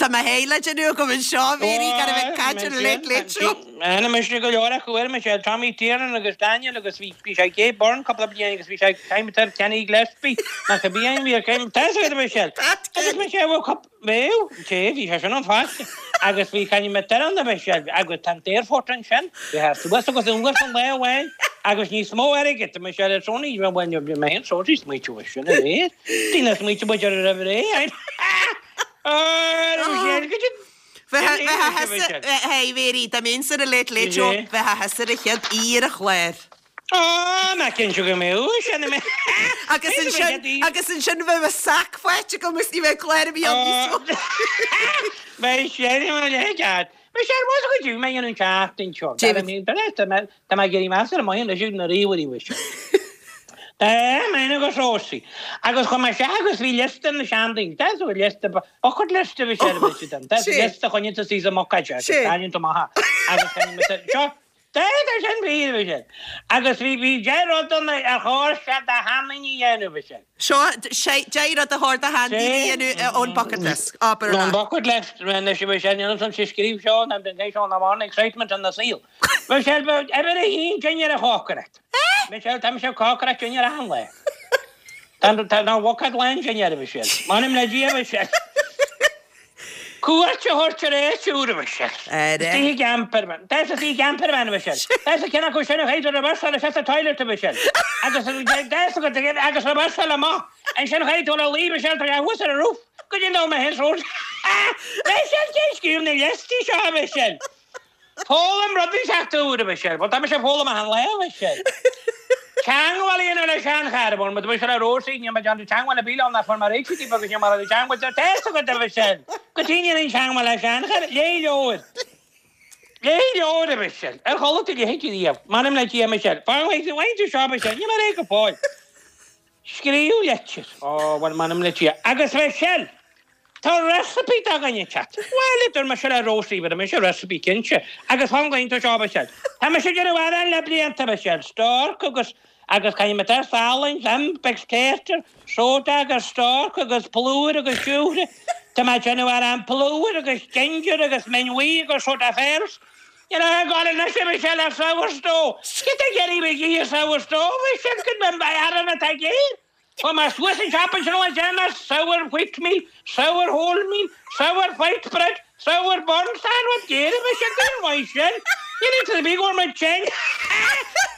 Tá mo shéala déanamh agam anseo, a Mhéirí, gan a bheith ag caint ar an Late Late Show. Ana mise go leor acu ar mise, Tommy Tiernan agus Daniel agus bhí bhí sé Gay Byrne cúpla bliain agus bhí sé Time Tar Kenny Gillespie nach a bhí an bhí ar Tá a fhios agat a Mhichelle. Agus mise bhfuil cúpla Bheadh, té, bhí sé sin ann fosta. Agus bhí Kenny McDermott a bheith sé, agus tá an t-aerfort ansin, bhí sé suas agus anuas an lá amháin, agus níos mó airgid, tá sé le Sony, bhuel, bhí mé féin sórt ag smaoitiú air sin aréir. Daoine ag smaoitiú muid ar a raibh ré, Bheadh, Mhéirí, dá mbeinnse ar an Late Late Show, bheadh thusa ar an chéad aoi ar an chlár. Á, nach cinnte go mbeadh sin i mé. Agus ansin, agus ansin bheadh mo sac faighte agam agus ní bheadh clár ar bith ann níos mó. Beidh sé i mo leithchead. Beidh sé ar mhaith go dtí mé an tseachtain seo. David. Tá mé tá mé ag iarraidh meas ar mo leis na ríomhairí mhuise. Tá mé agus Rósaí. Agus chuaigh mé isteach agus bhí liosta na seandaoine. Tá sú liosta bucket list a bhí sé ar bith. Tá liosta choinne tú suas i mbocáid agus taitneann tú maith. Agus seo Tá sin fíor, a Mhichelle. Agus bhí bhí deich rud ann ar chóir sé do sheandaoine a dhéanamh, a Mhichelle. Seo deich rud a chóir do sheandaoine a dhéanamh ón bucket list. Abair Ón bucket list, anois a Mhichelle, níl ansan sé scríobh seo ná den seo ná mar excitement an saol. Michelle, uimhir a haon dinnéar a chócaireacht. Michelle, tá mise ag cócaireacht dinnéar achan lá. Tá tá ná bucket lán dinnéar, a Mhichelle. M'anam le Dia, a Mhichelle. Cuairt a thabhairt ar áit úr, a Mhichelle. Istigh i gcampervan. Tá sa i gcampervan, a Mhichelle. Tá sa ceann acu sin a chaithfidh reverse isteach sa toilet, a Mhichelle. Agus agus reverse amach. Ansin chaithfidh tú a luí, Michelle, tá sé thuas ar an roof. Go dtí nó mé féin srón. Michelle, cén scríobh na liostaí seo, a Mhichelle? Foghlaim rudaí seachtain úr, a Mhichelle. Bhuel, tá mise ag foghlaim achan lá, a Mhichelle. Teagmháil a dhéanamh le seanchara, bhuel, má tá mise le Róisín, níl mé déanamh teagmháil le Bill ann ach fuair mé réitigh díobh agus níl mé ag teagmháil le Tess agat, a Mhichelle. Go dtí ndéanfainn teagmháil le seanchara, léigh leabhar. Léigh leabhar, a Mhichelle. Ar chuala tú a leithéid riamh? M'anam le Dia, a Mhichelle. Fan, bhain tú seo, a Mhichelle. Níl mé réidh go fóill. Scríobh litir. Ó, bhuel, m'anam le Dia. Agus Michelle! Tá recipe do dhuine inteacht. Bhuel, a dúirt mise le Róisín, bhí mise recipe cinnte. Agus fan go iontach seo, Michelle. Tá mise ag déanamh arán le blianta, Michelle. Stork agus, agus caithfidh mé tá salainn, im agus tartar, soda agus stork agus plúr agus siúcra. Tá mé ag déanamh arán plúr agus ginger agus min bhuí agus soda fairs. Níl aon gá anois, a Michelle, ar sourdough. Cad é a dhéanfaidh mé sourdough, Michelle, go mbeidh arán atá géar. Chuaigh mé suas an siopa ansin le déanamh sour wheat meal, sour whole meal, sour white bread, sour burnt sandwich, géar a bheidh sé go maith sin. Níl aon ar bith go bhfuil mé tinn.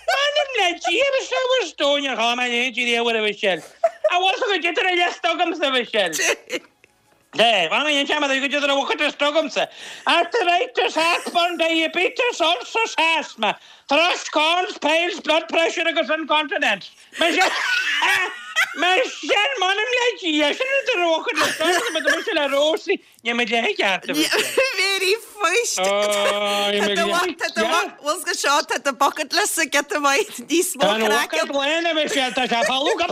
M'anam le Dia a sourdough níor chuala mé a leithéid riamh a Mhichelle. An bhfuil fhios agat goidé an liosta agamsa a Mhichelle? Dé, bhain mé an seama go dtí an bhfuil liosta agamsa. Arthritis, heartburn, diabetes, ulcers, asthma, thrush, corns, piles, blood pressure agus incontinence. Michelle, Michelle, m'anam le Dia, sin an rud a raibh mise le Róisín, níl mé le ceart a Mhichelle. Mary fuist. Bhfuil go seo tá do bucket list ag giota maith níos mó Tá an bucket lán a Mhichelle, tá sé folamh go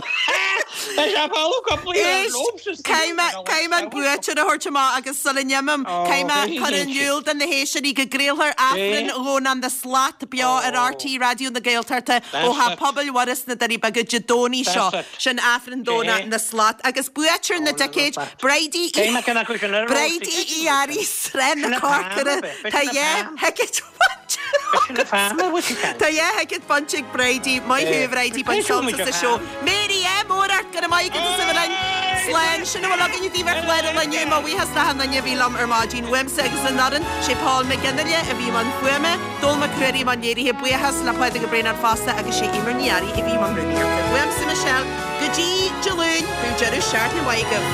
Tá sé folamh go Éist, caithfidh mé an buaiteoir a thabhairt amach agus sula n-imím, caithfidh mé cur in iúl do na héisteoirí go gcraolfar Aifreann Dhomhnach na Slat beo ar RTÉ Raidió na Gaeltachta ó Theach Pobail Mhuire sna Doirí Beaga Dé Domhnaigh seo. Sin Aifreann Dhomhnach na Slat. Agus buaiteoir na dticéid, Bridie Bridie Uí Fhearraigh, Srath na Corcora. Tá dhá thicéad bainte Tá dhá thicéad bainte ag Bridie. Maith thú a Bhridie, bain sult as an seó. Mary, ádh mór ort, go raibh maith agat as a bheith linn. Slán, sin a bhfuil againn daoibh ar chlár an lae inniu, mo bhuíochas d'achan duine a bhí liom ar maidin. Uaimse agus an fhoireann, sé Paul Mac Fhionnaile a bhí i mbun fuaime, Dónall Mac Ruairí i mbun léirithe, buíochas le Pádraig Ó Braonáin fosta agus sé Eimear Ní Fhearraigh a bhí i mbun rúnaíochta. Uaimse Michelle, go dtí Dé Luain, bíodh deireadh seachtaine maith agaibh.